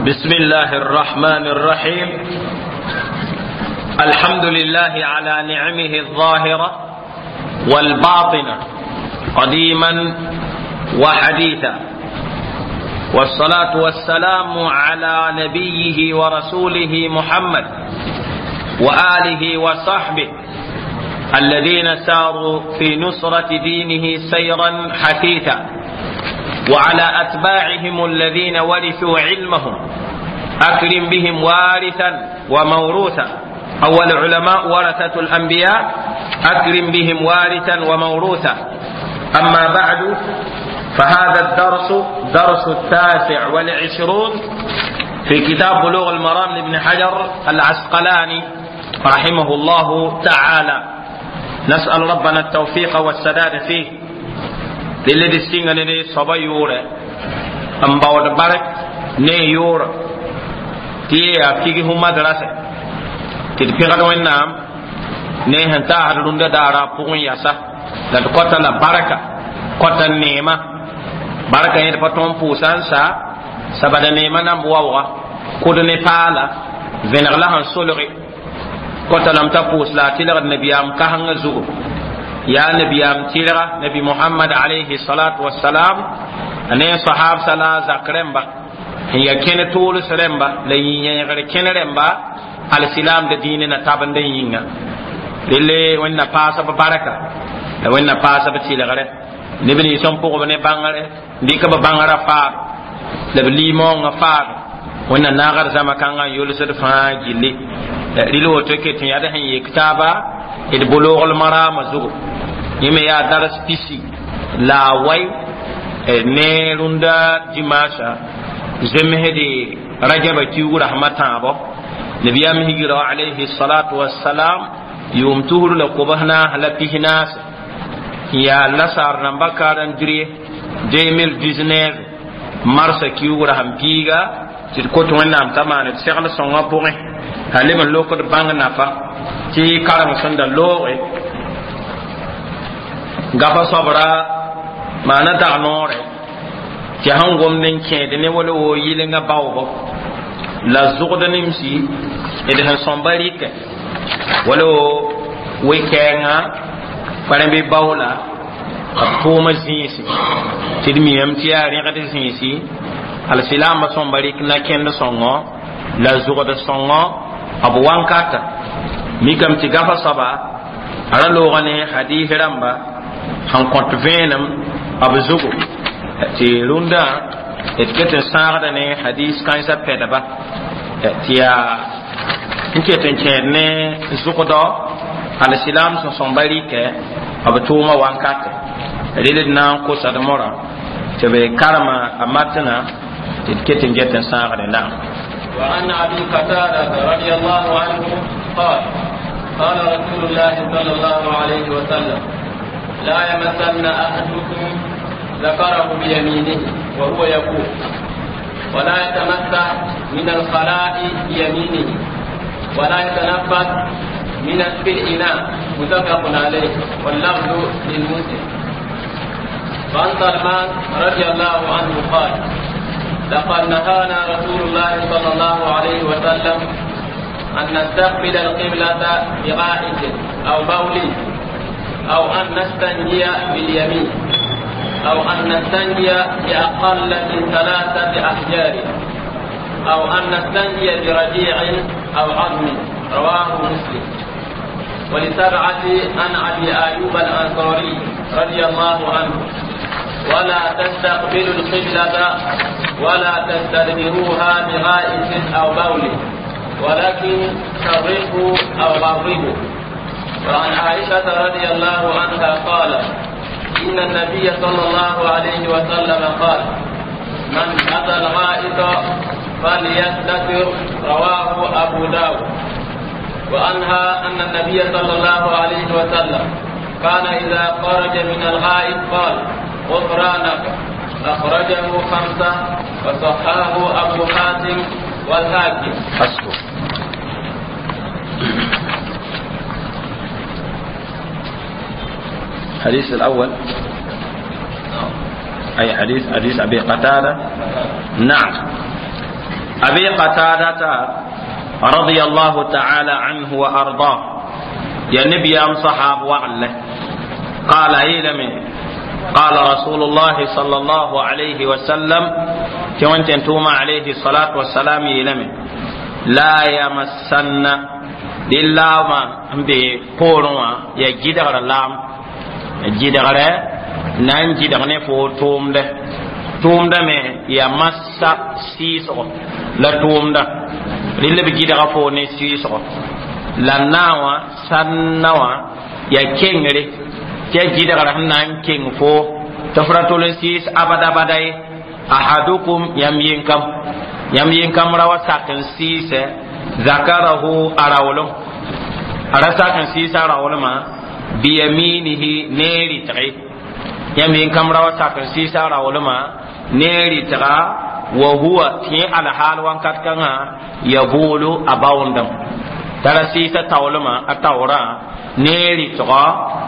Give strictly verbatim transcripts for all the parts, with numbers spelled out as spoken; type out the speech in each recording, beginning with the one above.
بسم الله الرحمن الرحيم. الحمد لله على نعمه الظاهرة والباطنة قديما وحديثا، والصلاة والسلام على نبيه ورسوله محمد وآله وصحبه الذين ساروا في نصرة دينه سيرا حثيثا، وعلى أتباعهم الذين ورثوا علمهم، أكرم بهم وارثا وموروثا. أول علماء ورثة الأنبياء، أكرم بهم وارثا وموروثا. أما بعد، فهذا الدرس درس التاسع والعشرون في كتاب بلوغ المرام لابن حجر العسقلاني رحمه الله تعالى. نسأل ربنا التوفيق والسداد فيه. للذي السنغني صبا يورا أم باود بارك ne yora ti ya figi hu madrasa ti pegd wẽnnaam ne sẽn taasd rũndã daara pʋgẽ yasa la d kota la barka kota neema barka yẽd pa tõnd pʋʋsa n sa sabada neema namb waooga kʋd ne paala vẽneg la sẽn solge kota lame t'a pʋʋs la a tɩlgd nabiyaam kasengã zugu yaa nabiyaam tɩlga nabi Muhammad alayhi salatu wassalam ne sahab sala zak rẽmba n ya kẽne tools rẽmba la yĩ-yẽegr kẽne rẽmba alsilam da diine na tabend n yĩnga relle wẽnna paasb barka la wẽnna paasb tɩlgre neb nins n pʋgb ne bãngre n dɩk b bãngrã faad la b limaoongã faad wẽnna naagd zãma kãngã n yolsd fãa gilli rɩl woto ket n yaa d sẽn yek taaba d bulugl marama zugu yẽ me yaa dars pisi la a wai ne rũndã dimaasã zemsde rajaba kiuug rasmã tãabo nabiyaam higira alayhi salatu wassalam yʋʋm tusr la kobs naas la pis naase yaa lasaar namba calendrier deux mille dix-neuf marsa kiuug rasem piiga tɩ d kot wẽnnaam t'a maan d segl sõngã pʋgẽ a leb n lokd bãng nafa tɩ kareng sẽn da looge gafa soabra maana dag noore tɩ sẽn gomd n kẽed ne wala wo yɩlenga baoogo la zʋgd nemsi d sẽn sõmba rɩkɛ wala wo we-kɛɛngã kparẽmbe baoola b tʋʋma zĩisi tɩ d miame tɩ yaa rẽgd zĩisi alsilaambã sõmba rɩk na-kẽnd sõngo la zʋgd sõngo b wankata mikame tɩ gafa soaba a ra looga ne hadis rãmba sẽn kõt vẽenem b zugu tɩ rũndã d ket n sãagda ne hadis kãensã pɛdba tɩ yaa n ket n kẽed ne zʋgdɔ alsilam sẽn sõmba rɩkɛ b tʋʋma wankatɛ rel d na n kosa d morã tɩ b karema a matna tɩ d ket n get n sãagde naam. وعن أبي قتادة رضي الله عنه قال قال رسول الله صلى الله عليه وسلم لا يمسن أحدكم ذكره بيمينه وهو يقول ولا يتمسح من الخلاء بيمينه ولا يتنفس من في الإناء متفق عليه واللفظ للمسلم. وعن سلمان رضي الله عنه قال لقد نهانا رسول الله صلى الله عليه وسلم أن نستقبل القبلة بغائط أو بول أو أن نستنجي باليمين أو أن نستنجي بأقل من ثلاثة أحجار أو أن نستنجي برجيع أو عظم. رواه مسلم. ولسبعة عن أبي أيوب الأنصاري رضي الله عنه ولا تستقبلوا القبلة ولا تستدبروها بغائط أو بول ولكن شرقوا أو غربوا. وعن عائشة رضي الله عنها قالت إن النبي صلى الله عليه وسلم قال من أتى الغائط فليستتر. رواه أبو داود. وعنها أن النبي صلى الله عليه وسلم كان إذا خرج من الغائط قال غفرانك. أخرجه خمسة وصححه أبو حاتم والحاكم. حسبه. الحديث الأول أي حديث؟ حديث أبي قتادة. نعم. أبي قتادة رضي الله تعالى عنه وأرضاه يا نبي أم صحاب وعله قال إلمي قال رسول الله صلى الله عليه وسلم كونت توما عليه الصلاة والسلام إلمي لا يمسن لله بي بوروا يا جدغر لام جدغر نان جدغ فو توم ده توم ده مي يا مسا سيسو لا توم ده لله بجدغ فو ني سيسو la nawa sannawa ya kengre tɩ gɩdgr sẽn na n keng fo tɩ f ra tol n sɩɩs abada bada ye ahadukum yãmb yẽnkam yãmb yẽnkam ra wa sak n sɩɩsɛ zakarahu a raoolem a ra sak n sɩɩs a raoolmã biyaminihi ne rɩtge yãmb yẽnkam ra wa sak n sɩɩs a raoolmã ne rɩtga wa huwa tɩ yẽ alhaal wãnkat kãngã yabulu a baoondame tara sɩɩsa taoolmã a taoorã ne rɩtgɔ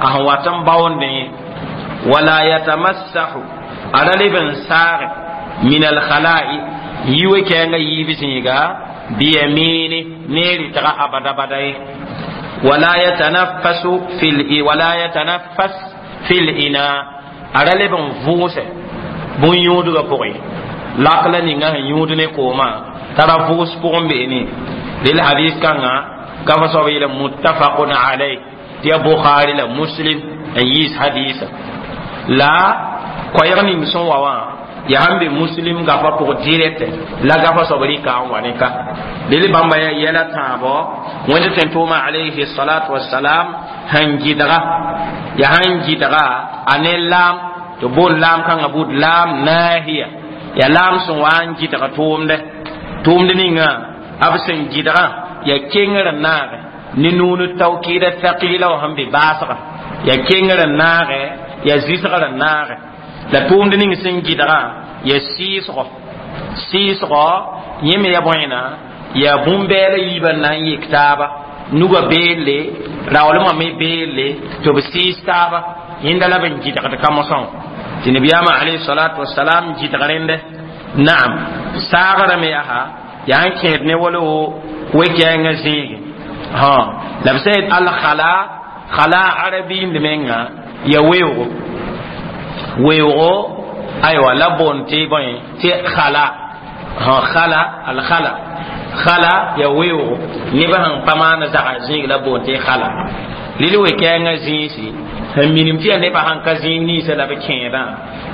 a sẽn wat n baoondẽ wala yatamassahu a ra leb n saage min alkhala'i yi we-kɛɛngã yiib zĩiga biyamini ne rɩtga abada bada ye wala yatanaffasu fil wala yatanaffas fil ina a ra leb n vʋʋsɛ bũn-yũudgã pʋgẽ lak la ninga sẽn yũud ne koomã tara vʋʋs pʋgẽ beene lel hadis kãngã gafa soab yeela muttafaqun alayh tɩ ya bukhari la muslim n yiis hadisa la koɛɛg ning sẽn wa wã yaa sẽn be muslim gafa pʋg direct la gafa soab rɩka n wa ne ka lel bãmba yaa yɛla tãabɔ wẽnd tẽn tʋʋma alayhi salatu wasalam sẽn gɩdga yaa sẽn gɩdga a ne laam tɩ boond laam kãngã buud laam nahiya yaa laam sẽn wa n gɩdg tʋʋmdɛ tʋʋmd ninga b sẽn gɩdgã ya kengr n naage ne nuun tawkida thaqila wa sẽn be baasga ya kengr n naage ya zɩsgr n naage la tʋʋmd ning sẽn gɩdgã ya sɩɩsgɔ sɩɩsgɔ yẽ me ya bõena ya bũn-bɛɛla yiibã n na n yek taaba nugã beelle raoolmã me beelle tɩ b sɩɩs taaba yẽnda la b n gɩdgd ka-mosã tɩ nabiyaamã alayhi salatu wasalam gɩdg rẽndɛ naam saagrã me yaa yaa n kẽed ne wala we-kɛɛngã zĩige la b sẽn yet alkhala khala arabiind menga ya weoogo weoogo aywa la boond tɩ bõe tɩ khala khala alkhala khala ya weoogo nebã sẽn pa maan zaga zĩig la boond tɩ khala lil we-kɛɛngã zĩisi sẽn minim tɩ yaa nebã sãn ka zĩig ninsã la b kẽedã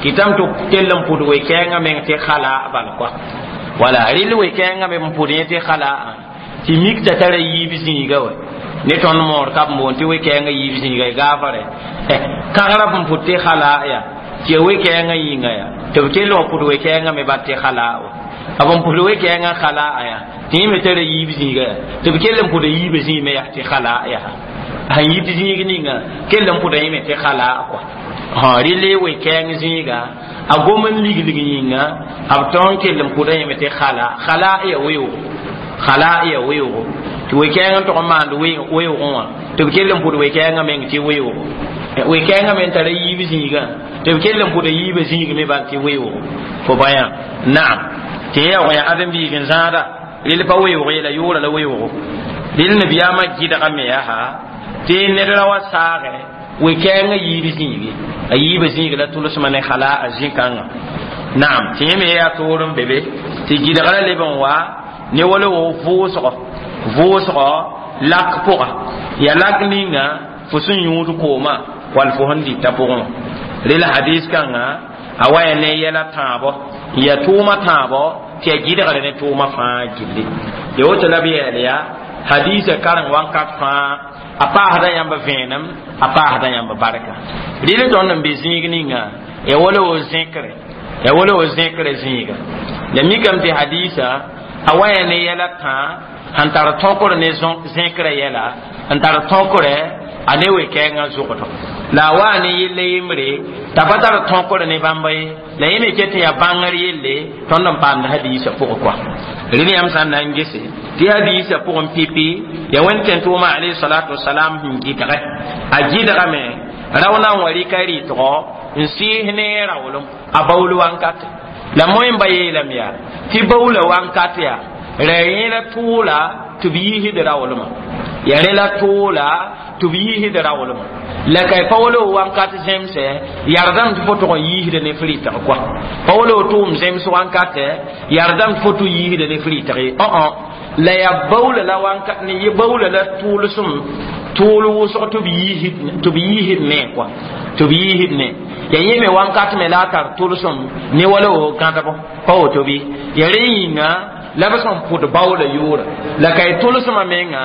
kɩtame tɩ kell n pʋd we-kɛɛngã meng tɩ khala bal koa wala rɩl we-kɛɛngã me n pʋd yẽ tɩ khala tɩ mik t'a tara yiib zĩiga wa ne tõnd moor ka b boond tɩ we-kɛɛngã yiib zĩiga y gaafare kãgrã b n pʋd tɩ khala ya tɩ ya we-kɛɛngã yĩnga ya tɩ b kell wã pʋd we-kɛɛngã me bat tɩ khala wa b n pʋd we-kɛɛngã khala ya tɩ yẽ me tara yiib zĩiga ya tɩ b kell n pʋda yiibã zĩig me yaa tɩ khala yaa sẽn yit zĩig ninga kell n pʋda yẽ me tɩ khala kɔa rɩle we-kɛɛng zĩiga a gom n liglig yĩnga b tõog n kell n pʋda yẽ me tɩ khala khala ya weoogo khala ya weoogo tɩ we-kɛɛng n tog n maand weoogẽ wã tɩ b kell n pʋd we-kɛɛngã meng tɩ weoogo we-kɛɛngã me n tara yiib zĩigã tɩ b kell n pʋda yiibã zĩig me bal tɩ weoogo fo bãyã naam tɩ yẽ yaoog yaa ãdem-biig n zãada rel pa weoog ye la yʋʋra la weoogo rel nabiyaamã gɩdga me yaa tɩ ned ra wa saagɛ we-kɛɛngã yiib zĩigi a yiibã zĩig la tʋlsmã ne khala a zĩ-kãngã naam tɩ yẽ me yaa toor n be be tɩ gɩdgrã leb n wa ne wala wo vʋʋsgɔ vʋʋsgɔ lak pʋga ya lak ninga fo sẽn yũud koomã wall fo sẽn dɩta pʋgẽ rel hadis kãngã a wa ya ne yɛla tãabɔ n ya tʋʋmã tãabɔ tɩ ya gɩdgr ne tʋʋmã fãa gilli ya woto la b yɛɛl yaa hadisa kareng wãnkat fãa a paasda yãmb vẽenem a paasda yãmb barka rɩl tõnd n be zĩig ninga ya wala wo zẽkre ya wala wo zẽkre zĩiga la mikame tɩ hadisa a wa ya ne yɛla tãa sẽn tar tõkr ne zẽkrã yɛla n tar tõkre a ne we-kɛɛngã zʋgdɔ la a waa ne yella yembre t'a pa tar tõkr ne bãmba ye la yẽ me ket tɩ yaa bãngr yelle tõnd n paamd hadiisã pʋgẽ kɔa rẽnd yãmb sã n na n gese tɩ hadiisã pʋgẽ pipi ya wẽnd tẽn tʋʋma alayhi salatu wasalam sẽn gɩdgɛ a gɩdgame rao na n wa rɩka rɩtgɔ n sɩɩs ne raoolem a baool wankate La moẽmba yeelame yaa tɩ baoola wãnkat yaa ra yẽla tʋʋla tɩ b yiisd raoolmã ya rẽ la tʋʋla tɩ b yiisd raoolmã la ka pa wala wãnkat zemsɛ yardame tɩ fo tʋg n yiisda ne f rɩtg kɔa pa wala tʋʋm zems wãnkatɛ yardame tɩ fo tʋ yiisda ne f rɩtg ye õ la ya baoola la wãnkat ne ye baoola la tʋʋlsem tʋʋl wʋsg tɩ b yiisd tɩ b yiisd ne kɔa tɩ b yiisd ne ya yẽ me wãnkat me la a tar tʋlsem ne wala wo gãdbo pa woto bɩ ya rẽ yĩnga la b sẽn pʋd baoola yʋʋra la ka y tʋlsmã menga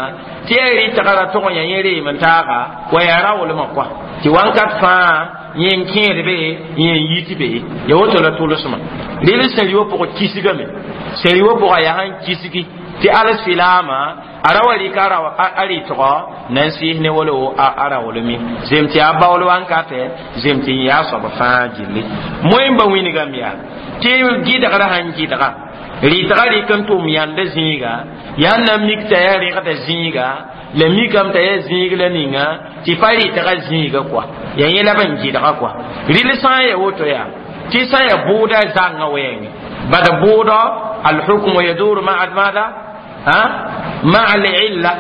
tɩ ya rɩtga ra tʋg n ya yẽ reem n taaga wa yaa raoolmã kɔa tɩ wãnkat fãa yẽ n kẽed be yẽ n yit be ya woto la tʋlsmã rel sẽn wã pʋgã kisgame sẽn wã pʋgã yaa sẽn kisgi tɩ alsilaama a ra wa rɩka a rɩtgɔ na n sɩɩs ne wala a raoolme zem tɩ yaa baool wãnkatɛ zem tɩ n yaa soab fãa gilli moẽmba wĩnigame yaa tɩ gɩdgrã sãn gɩdga rɩtga rɩk n tʋm yãnd zĩiga yaa na mik t'a yaa rẽgda zĩiga la mikame t'a yaa zĩig la ninga tɩ pa rɩtga zĩiga kɔa yaa yẽ la b n gɩdga kɔa rɩl sã n ya woto yaa tɩ sã n ya bʋʋda zãngã wɛɛngẽ bad bʋʋdɔ alhukmu yaduru maa maada ha maa alilla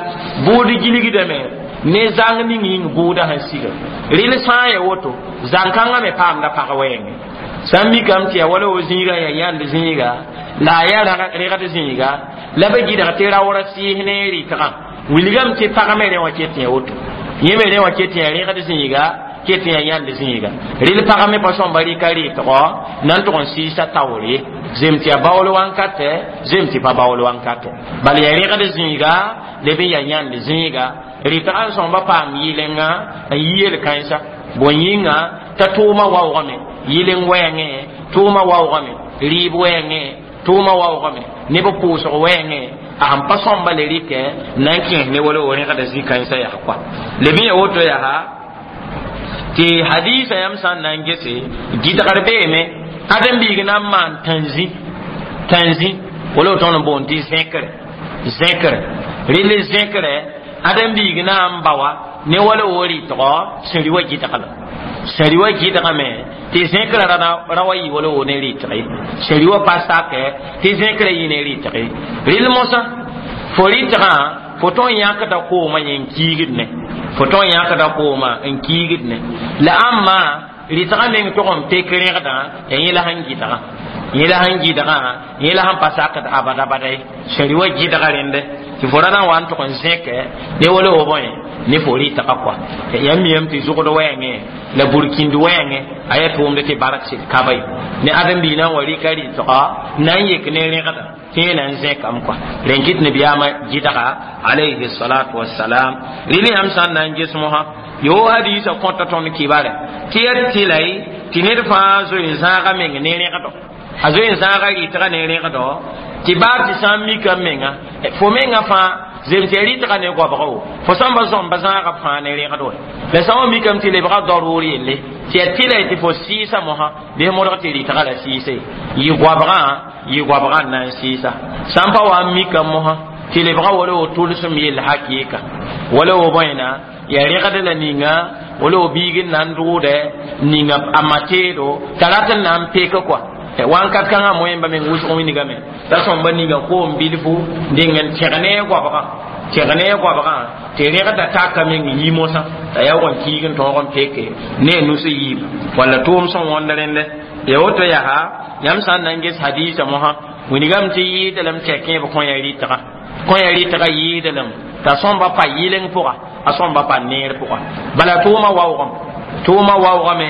bʋʋd gilgdame ne zãng ning yĩng bʋʋda sẽn siga rɩl sã n ya woto zãn-kãngã me paamda pag wɛɛngẽ sã n mikame tɩ ya wala wo zĩiga ya yãnd zĩiga la a yaa rẽgd zĩiga la b gɩdg tɩ raoora sɩɩs ne rɩtgã wilgame tɩ pag me rẽ wã ket yã woto yẽ me rẽ wã ket yã rẽgd zĩiga ket yã yãnd zĩiga rɩl pag me pa sõmba rɩka rɩtgɔ na n tʋg n sɩɩsa taoor ye zem tɩ ya baool wãnkatɛ zem tɩ pa baool wãnkatɛ bala ya rẽgd zĩiga leb n ya yãnd zĩiga rɩtgã n sõmba paam yɩlenga n yi yel-kãensa bõe yĩnga t'a tʋʋma waoogame yɩleng wɛɛngẽ tʋʋma waoogame rɩɩb wɛɛngẽ tʋʋma waoogame neb pʋʋsg wɛɛngẽ a sẽn pa sõmba le rɩkɛ na n kẽes ne wala wo rẽgda zĩ-kãensã yaa koa leb n ya woto yaa tɩ hadisa yãmb sã n na n gese gɩdgr beeme ãdem-biig na n maan tãnzĩ tãnzĩ wala tõnd n boond tɩ zẽkre zẽkre rɩl zẽkre ãdem-biig na n bawa ne wala wo rɩtgɔ sẽn rɩ wa gɩdgla sẽn rɩ wa gɩdgame tɩ zẽkrã ra wa yɩ wala wo ne rɩtge sẽn rɩ wa pa sakɛ tɩ zẽkrã yɩ ne rɩtge rɩl mosã fo rɩtgã fo tõn yãkda koomã yẽ n kiigd ne fo tõn yãkda koomã n kiigd ne la ãmma rɩtgã meng tʋg n pek rẽgdã ya yẽ la sẽn gɩdgã yẽ la sẽn gɩdgã yẽ la sẽn pa sakd abada bada ye sẽn rɩ wa gɩdga rẽndɛ tɩ fo ra na n wa n tʋg n zẽkɛ ne wala wo bõe ne fo rɩtgã kɔa yãmb miyame tɩ zʋgd wɛɛngẽ la burkĩnd wɛɛngẽ a yaa tʋʋmd tɩ bark sɩd kaba ye ne ãdem-biig na n wa rɩka rɩtgɔ na n yek ne rẽgda tɩ yẽ na n zẽkame kɔa rẽn kɩt nabiyaamã gɩdga alayhi salatu wassalam rɩl yãmb sã n na n ges mosã yo hadisa kõta tõnd kibare tɩ ya tɩlay tɩ ned fãa zoe n zãaga meng ne rẽgdɔ a zoe n zãaga rɩtgã ne rẽgdɔ tɩ baa tɩ sã n mika menga fo menga fãa zem tɩ ya rɩtgã ne goabga wo fo sãn ba zõmba zãaga fãa ne rẽgd wɛ la sã wa mikame tɩ lebga daroor yelle tɩ ya tɩlay tɩ fo sɩɩsa mosã bɩ modg tɩ rɩtgã la sɩɩse yɩ goabgã yɩ goabgã n na n sɩɩsa sã n pa wa n mika mosã tɩ lebga wala wo tʋlsem yell hakɩɩka wala wo bõena ya rẽgd la ninga wala wo biig n na n dʋʋdɛ ninga a ma teedo t'a rat n na n pek kɔa wãnkat kãngã moẽmba meng wʋsg wĩnigame t'a sõmba ninga koom bilfu deng n tẽg ne a goabgã tẽg ne a goabgã tɩ rẽgda taka meng yi mosã t'a yaoog n kiig n tõog n peke ne a nus yiib walla tʋʋm sẽn wõnd rẽndɛ ya woto yaa yãmb sã n na n ges hadiisa mosã wĩnigame tɩ yɩɩda lame tɩ ya kẽeb kõ ya rɩtgã kõ ya rɩtgã yɩɩda lame t'a sõmba pa yɩleng pʋga a sõmba pa neer pʋga bala tʋʋma waoogame tʋʋma waoogame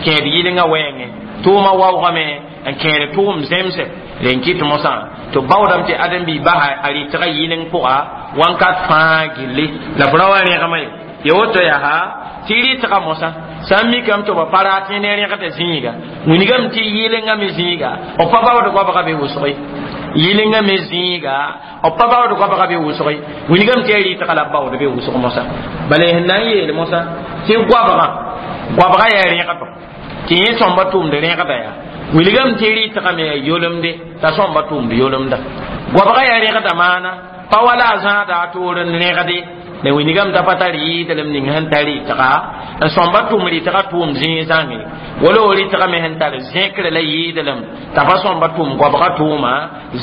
kẽed yɩlengã wɛɛngẽ tʋʋma waoogame n kẽed tʋʋm zemse rẽn kɩt mosã tɩ baoodame tɩ ãdem-biig basa a rɩtgã yɩleng pʋga wãnkat fãa gilli la f ra wa rẽgma ye ya woto yaa tɩ rɩtgã mosã sã n mikame tɩ b pa rat ne rẽgda zĩiga wĩnigame tɩ yɩlengã me zĩiga b pa baood goabga be wʋsg ye yɩlengã me zĩiga b pa baood goabga be wʋsg ye wĩnigame tɩ ya rɩtga la b baood be wʋsg mosã bala sẽn na n yeel mosã tɩ goabgã goabga yaa rẽgdo tɩ yẽ sõmba tʋʋmd rẽgda yaa wilgame tɩ rɩtgã me yaa yolemde t'a sõmba tʋʋmd yolemda goabga yaa rẽgda maana pa wala a zãada a toor n rẽgde la wĩnigame t'a pa tar yɩɩdlem ning sẽn tar rɩtga n sõmba tʋm rɩtga tʋʋm zĩig zãnge wala o rɩtga me sẽn tar zẽkre la yɩɩdlem t'a pa sõmba tʋʋm goabga tʋʋma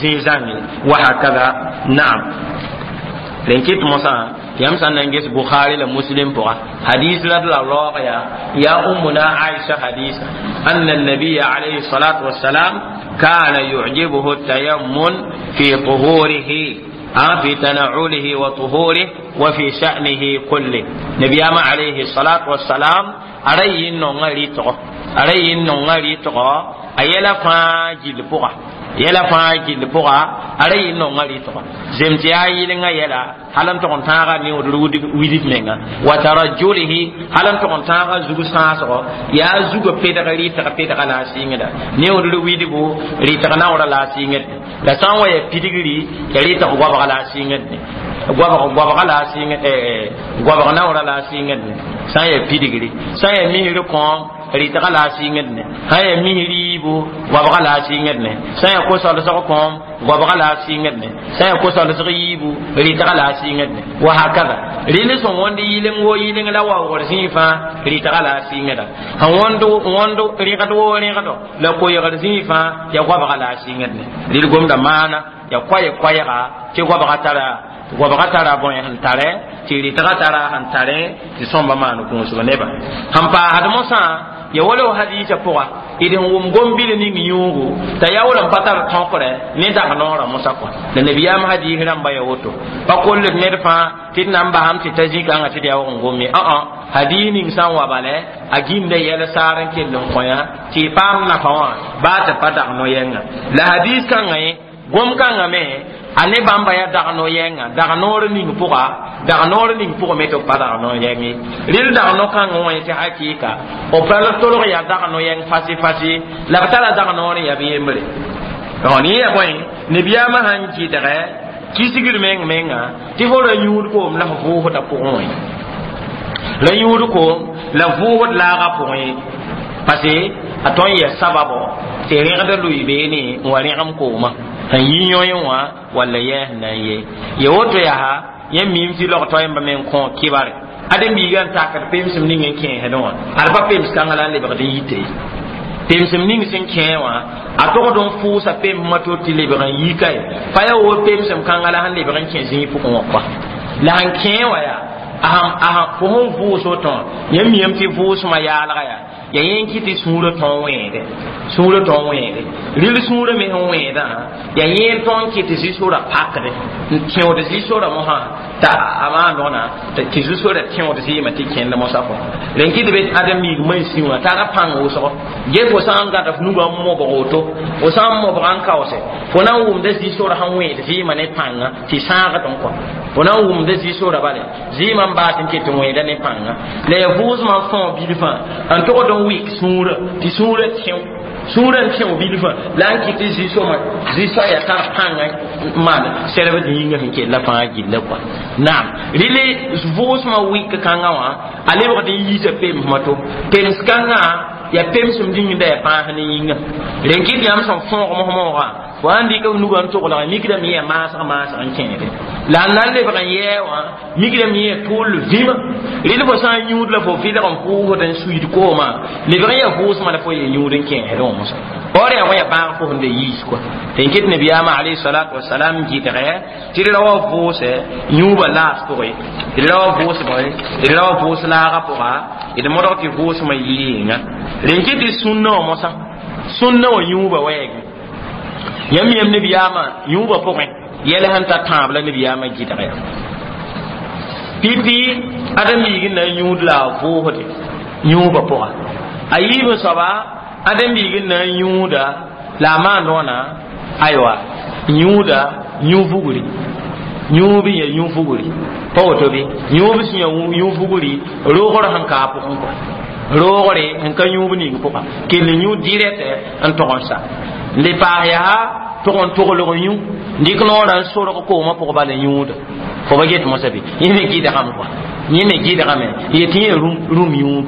zĩig zãnge wa hakada. Naam, rẽn kɩt mosã yãmb sã n na n ges Bukhari la Muslim pʋga hadis la d la raoog yaa yaa Ummuna Aisha hadisa anna النبي عليه الصلاة والسلام كان يعجبه التيمن في طهوره في تنعله وطهوره وفي شأنه كله. نبيام عليه الصلاة والسلام أري نونغ ريتغو أري نونغ ريتغو أيلا فاجل بوغا yɛla fãa gill pʋga a ra yɩ nonga rɩtgɔ zem tɩ yaa yɩlenga yɛla hal n tʋg n tãaga neood widb menga wa tarajulihi hal n tʋg n tãaga zug sãasgɔ yaa zugã pedg rɩtg pedga la a sɩngda neood widbo rɩtg naoorã la a sɩngd la sã n wa ya pidgri ya rɩtg goabga la a sɩngd goabg goabga la a sɩngd goabg naoorã la a sɩngd sã n ya pidgri sã n ya misr kõom rɩtga la a sɩngd ne sã n ya mis riibo goabga la a sɩngd ne sã n ya ko-solsg kõom goabga la a sɩngd ne sã n ya ko-solsg yiibu rɩtga la a sɩngd ne wa hakada. Rɩl sẽn wõnd yɩleng wo yɩleng la waoogr zĩig fãa rɩtga la a sɩngda sẽn wõnd wõnd rẽgd woo rẽgdo la koeegr zĩig fãa ya goabga la a sɩngd ne rɩl gomda maana ya koɛɛ koɛɛga tɩ goabga tara goabga tara bõe sẽn tare tɩ rɩtga tara sẽn tare tɩ sõmba maan kũusg nebã sẽn paasd mosã ya wala hadisa pʋga d sẽn wʋm gom-bil ning yũugu t'a yaool n pa tar tõkre ne dag noorã mosã kɔa la nabiyaam hadis rãmba ya woto pa koll d ned fãa tɩ d na n basam tɩ ta zĩ-kãngã tɩ d yaoog n gom ye ã hadis ning sã n wa bala a gĩnda yɛl saar n kell n kõ tɩ y paam nafa wã baa tɩ pa dag no-yɛnga la hadis kãngã ye gom kãngã me a ne bãmba yaa dag no-yɛnga dag noor ning pʋga dag noor ning pʋgẽ me tɩ b pa dag no-yɛng ye rɩl dag no-kãngã wã tɩ hakɩɩka b pa tolg yaa dag no-yɛng fasi fasi la b tara dag noor n yaa b yembre yẽ yaa bõe nabiyaamã sãn kɩdgɛ kisgr meng menga tɩ fo ra yũud koom la f vʋʋsdã pʋgẽ wã ra yũud koom la vʋʋsd laagã pʋgẽ parce que a tõn yɛ sababo tɩ rẽgd lʋɩ beene n wa rẽgem koomã sẽn yi yõe wã walla yɛɛs na n ye ya woto yaa yẽ mim tɩ log toɛɛmbã me n kõ kibare ade-biigã n takd pemsem ning n kẽesdẽ wã ad pa pems kãngã la n lebgd n yite pemsem ning sẽn kẽe wã a togd n fʋʋsa pemsmã to tɩ lebg n yika ye pa yaa wo pemsem kãngã la sẽn lebg n kẽ zĩig pʋgẽ wã kɔa la sẽn kẽe wã yaa a fo sẽn vʋʋs woto wã yẽ miame tɩ vʋʋsmã yaalga yaa ya yẽ kɩ tɩ sũurã tõog wẽede sũurã tõog wẽede rɩl sũurã me sẽn wẽedã ya yẽ tõog kɩ tɩ zĩ-sorã pakde n tẽod zĩ-sorã mosã t'a a maan rõna tɩ zĩ-sorã tẽod zɩɩmã tɩ kẽnd mosã kɔ rẽn kɩ tɩ be ãdem-biig mansĩ wã tara pãng wʋsgo ge fo sã n gãd f nugã n mobg woto fo sã n mobga n kaoose fo na n wʋmda zĩ-sorã sẽn wẽed zɩɩmã ne pãnga tɩ sãagd n kɔ fo na n wʋmda zĩ-sorã bale zɩɩmã n baas n ket n wẽeda ne pãnga la ya vʋʋsmã n fão bilfã n togd n wɩk sũurã tɩ sũurã tẽo sũurã n tẽo bilfã la n kɩ tɩ zĩ-sõma zĩ-soaya tar pãnga n maan sɛrbd yĩngã sẽn kella fãa gilla kɔa naam rɩle vʋʋsmã wɩk kãngã wã a lebgd n yiisa pemsmã to pems kãngã ya pemsem dĩngda ya pãas ne yĩnga rẽn kɩ tɩ yãmb sẽn fõog mos-moogã fo sãn dɩk f nugã n toglg mikdame yã maasg maasg n kẽede la n na n lebg n yɛɛ wã mikdame yẽ tʋʋl vĩmã rɩl fo sã n yũud la fo vɩlg n pʋʋsd n suiid koomã lebg n yaa vʋʋsmã la fo ya yũud n kẽesdẽ wã mosã or yaa wã ya bãag fo sẽn da yiis kɔa tɩ n kɩt nabiyaamã alayhi salatu wasalam gɩdgɛ tɩ d ra wa vʋʋsɛ yũubã laas pʋgẽ d ra wa vʋʋsbẽ d ra wa vʋʋs laagã pʋga d modg tɩ vʋʋsmã yɩɩnga rẽn kɩ tɩ sũnna wã mosã sũnna wã yũubã wɛɛgẽ yãmb yãmb nabiyaamã yũubã pʋgẽ yɛl sẽn ta tãab la nabiyaamã gɩdgɛ pipi ãdem-biig n na n yũud la a vʋʋsde yũubã pʋga a yiib n soaba ãdem-biig n na n yũuda la a maan rõna aywa yũuda yũ-vugri yũub n ya yũ-vugri pa woto bɩ yũub sẽn ya yũ-vugri roogr sẽn ka a pʋgẽ kɔa roogre n ka yũub ning pʋga kell yũ dirɛt n tog n sa n le paas yaa tog n toglg yũ dɩk noorã n sorg koomã pʋg bala yũuda fo ba get mosã bɩ yẽ me gɩdgame kɔa yẽ me gɩdgame yetɩ yẽ rũm yũub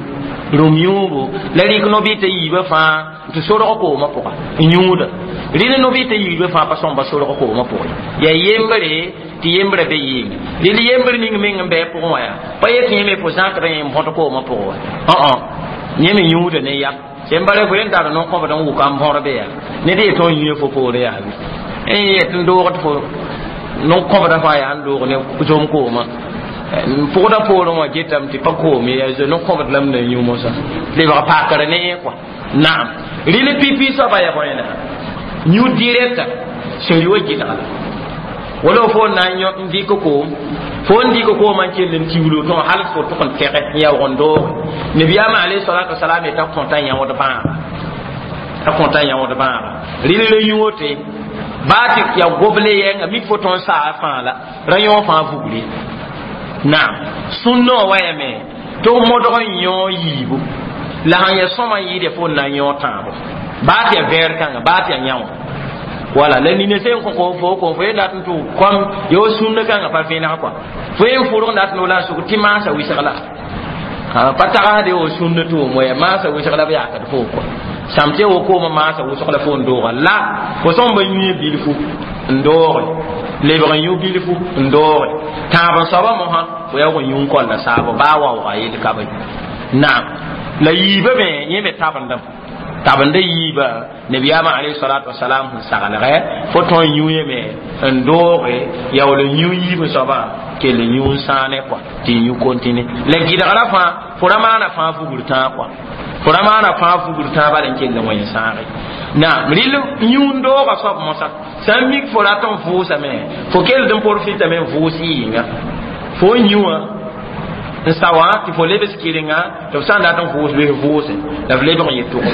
rũm yũubu la rɩk no-bɩ t'a yiibã fãa tɩ sorg koomã pʋga n yũuda rɩl no-bɩ t'a yiibã fãa pa sõmba sorg koomã pʋgẽ yaa yembre tɩ yembrã be yɩɩnga rɩl yembr ning meng n bɩ pʋgẽ wã yaa pa yet yẽme fo zãkdã yẽ n bõt koomã pʋgẽ wa õ yẽ me yũuda ne yam sẽn bare fo yẽn tar no-kõbd n wʋka n bõr be yaa ned yetɩ n yũ fo poore yaa bɩ n yet n doogd fo no-kõbdã fãa yaa n doog ne zom koomã pʋgda poorẽ wã getame tɩ pa koom ye yaa no-kõbd la m na yũ mosã lebg pakr ne yẽ kɔa naam rɩl pipi soaba yaa bõe na yũ direkta sẽn wa gɩdga la wala fo na n yõ n dɩk koom fo n dɩk koomã n kell n tiulo tõ hal fo tʋg n tɛgɛ n yaoog n dooge nabiyaamã alayhi salatu wasalam yeta kõta yãood bãaga a kõta yãood bãaga rɩl ra yũ wote baa tɩ ya goble yɛnga mik fo tõn saa fãa la ra yõ fãa vugre naam sũnnã wã wayame tɩ f modg n yõ yiibu la sãn ya sõma n yɩɩd fo n na n yõ tãabo baa tɩ ya vɛɛr kãnga baa tɩ ya yão wala la nina sẽn kõ fo fo fo dat n tʋ kom yo sũnna kãngã pa vẽneg kɔa fo yen fʋrg dat n la n sʋk tɩ maasa wɩsg la pa tagsde wo sũnna tʋʋm wa ya maasa wɩsg la b yakd fo kɔa sãm tɩ wo koomã maasa wʋsg la fo n dooga la fo sõm ba yũ bilfu n dooge lebg n yũ bilfu n dooge tãab n soaba mosã fo yaoog n yũ n kolla saabo baa waooga yel ka be naam la yiibã me yẽ me tabendame tabenda yiiba nabiyaamã alayhi salatu wasalam sẽn saglgɛ fo tõe n yũ yeme n dooge yaool n yũ yiib soabã kell n yũ n sãane kɔa tɩ n yũ kontine la gɩdgra fãa fo ra maana fãa fugr tãag kɔa fo ra maana fãa fugr tãag bala n kell n wẽn sãage naam rɩl yũ n dooga soab mosã sã n mik fo rat n vʋʋsame fo keld n profitame n vʋʋs yɩɩnga fo n yũ wã n sa wã tɩ fo lebs kɩrenga tɩ f sã n dat n vʋʋs loes vʋʋse la f lebg n yet tʋgl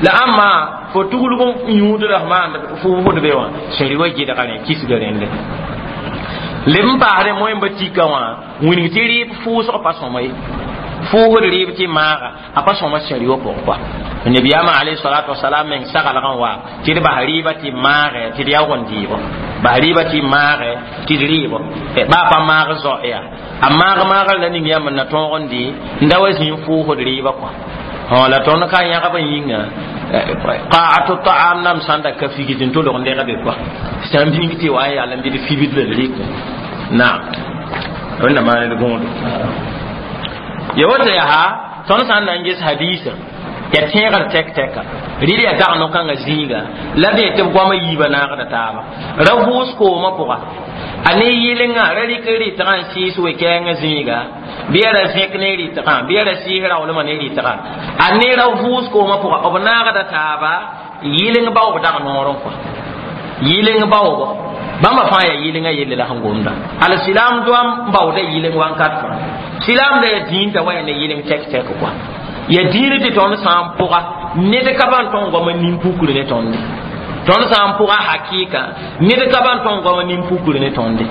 la ãmba fo tuglg n yũudra f maand fʋʋsd be wã sẽn rɩ wa gɩdga rẽ kisga rẽnde leb n paasdẽ moẽmba tika wã wĩng tɩ rɩɩb fʋʋsg pa sõma ye fʋʋsd rɩɩb tɩ maaga a pa sõma sẽn rɩ wã pʋgẽ kɔa nabiyaamã alayhi salatu wasalam meng saglgã wa tɩ d bas rɩɩbã tɩ maagɛ tɩ d yaoog n dɩɩbɔ bas rɩɩbã tɩ maagɛ tɩ d rɩɩbɔ baa pa maag zao yaa a maag maagr la ning yãmb n na tõog n dɩ n da wa zĩ n fʋʋsd rɩɩbã kɔa la tõnd ka yãgb n yĩnga qaatu taam nam sãn da ka figd n tolg n degbe kɔa sã n bĩng tɩ wa n yal n bɩ d fibd la d rɩk naam wẽnna maan d gõodo ya woto yaa tõnd sã n na n ges hadiisã ya tẽegr tɛk tɛka rɩl ya dag no-kãngã zĩiga la d tɩ b goamã yiibã naagda taaba ra vʋʋs koomã pʋga a ne yɩlenga ra rɩk rɩtgã n sɩɩs we-kɛɛngã zĩiga bɩ ya ra zẽk ne rɩtgã bɩ ya ra sɩɩs raoolmã ne rɩtgã a ne ra vʋʋs koomã pʋga b naagda taaba yɩleng baoob dag noorẽ kɔa yɩleng baoobo bãmba fãa yaa yɩlenga yelle la sẽn gomda al silaam doam baooda yɩleng wãnkat fãa silaam da yaa dĩintã wa yaa ne yɩleng tɛk tɛk kɔa ya diine tɩ tõnd sã n pʋga ned ka ban tõn goama nin-pukr ne tõnde tõnd sã n pʋga hakɩɩka ned ka ban tõn goama nin-pukr ne tõnde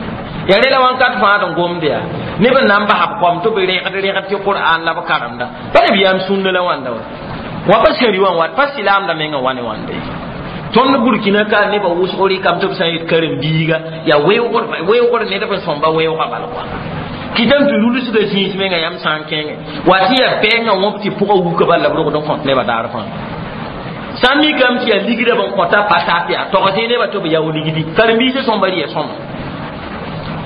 ya rela wãnkat fãa d n gomd yaa neb n na n basa b koam tɩ b rẽgd rẽgd tɩ qur'an la b karemda pa nabiyaam sũnna la wãnda wa wã pa sẽri wã n wat pa silaamda mengã wa ne wãnde tõnd burkina ka nebã wʋsg rɩkame tɩ b sã n yet karen-biiga yaa weoogr weoogr ned b sõmba weoogã bal kɔa kɩtame tɩ rulsda zĩis menga yãmb sã n kẽngẽ wa tɩ yaa bɛɛngã wõp tɩ pʋgã wuka bal la b rogd n kõt nebã daar fãa sã n mikame tɩ yaa ligdã b n kõta patat yaa togsẽ nebã tɩ b yao ligdi karen-biisã sõmba rɩ ya sõma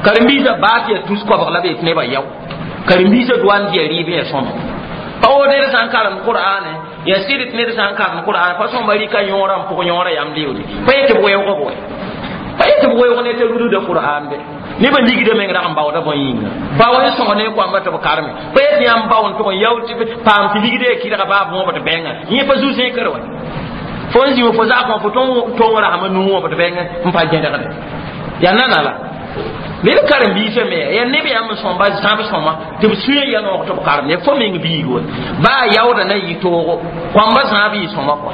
karen-biisã baa tɩ yaa tus koabg la b yet nebã yao karen-biisã doan tɩ yaa rɩɩb ya sõma pa wo ned sã n karemd qur'ane ya sɩd tɩ ned sã n karemd qur'an pa sõmba rɩka yõorã n pʋg yõorã yam leoode pa yet tɩ b weoog b wɛ pa yet tɩ b weoog ne t'a rudda qur'an be nebã ligdã meng rag n baooda bõe yĩnga pa wa sõg ne koamba tɩ b karme pa yet yãmb bao n tʋg n yao tɩ paam tɩ ligdã ya kɩdga baa bõob tɩ bɛngã yẽ pa zu-zẽkr wɛ fo n zĩ fo zakã fo tõng rasmã nuu wã tɩ bɛngã n pa gẽdgde yaa nana la ned karen-biisã me yaa neb yãmb n sõmba zãb sõma tɩ b sũyã ya noog tɩ b karem fo meng biig wa baa yaooda na yɩ toogo koamba zãab yɩ sõma kɔa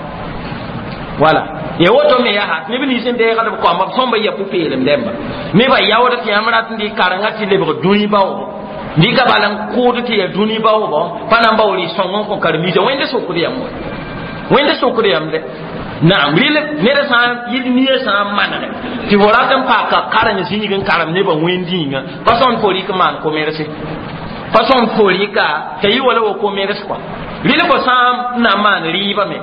wala ya woto me yaa neb nins n deegd b koamba b sõmba ya pʋ-peelem dẽmba nebã yaooda tɩ yãmb rat n dɩ karenga tɩ lebg dũni baoobo dɩka bala n kʋʋd tɩ ya dũni baoobo pa na n bao rɩ sõng n kõ karen-biisã wẽnde sokd yãmb wa wẽnde sokd yãmb dɛ naam rɩl ned sã n yɩl nia sã n manege tɩ fo rat n paaka kareng zĩig n karem nebã wẽnd-yĩnga pa sõm fo rɩk maan komerse pa sõm fo rɩka t'a yɩ wala wa komers kɔa rɩl fo sã n na n maan rɩɩbame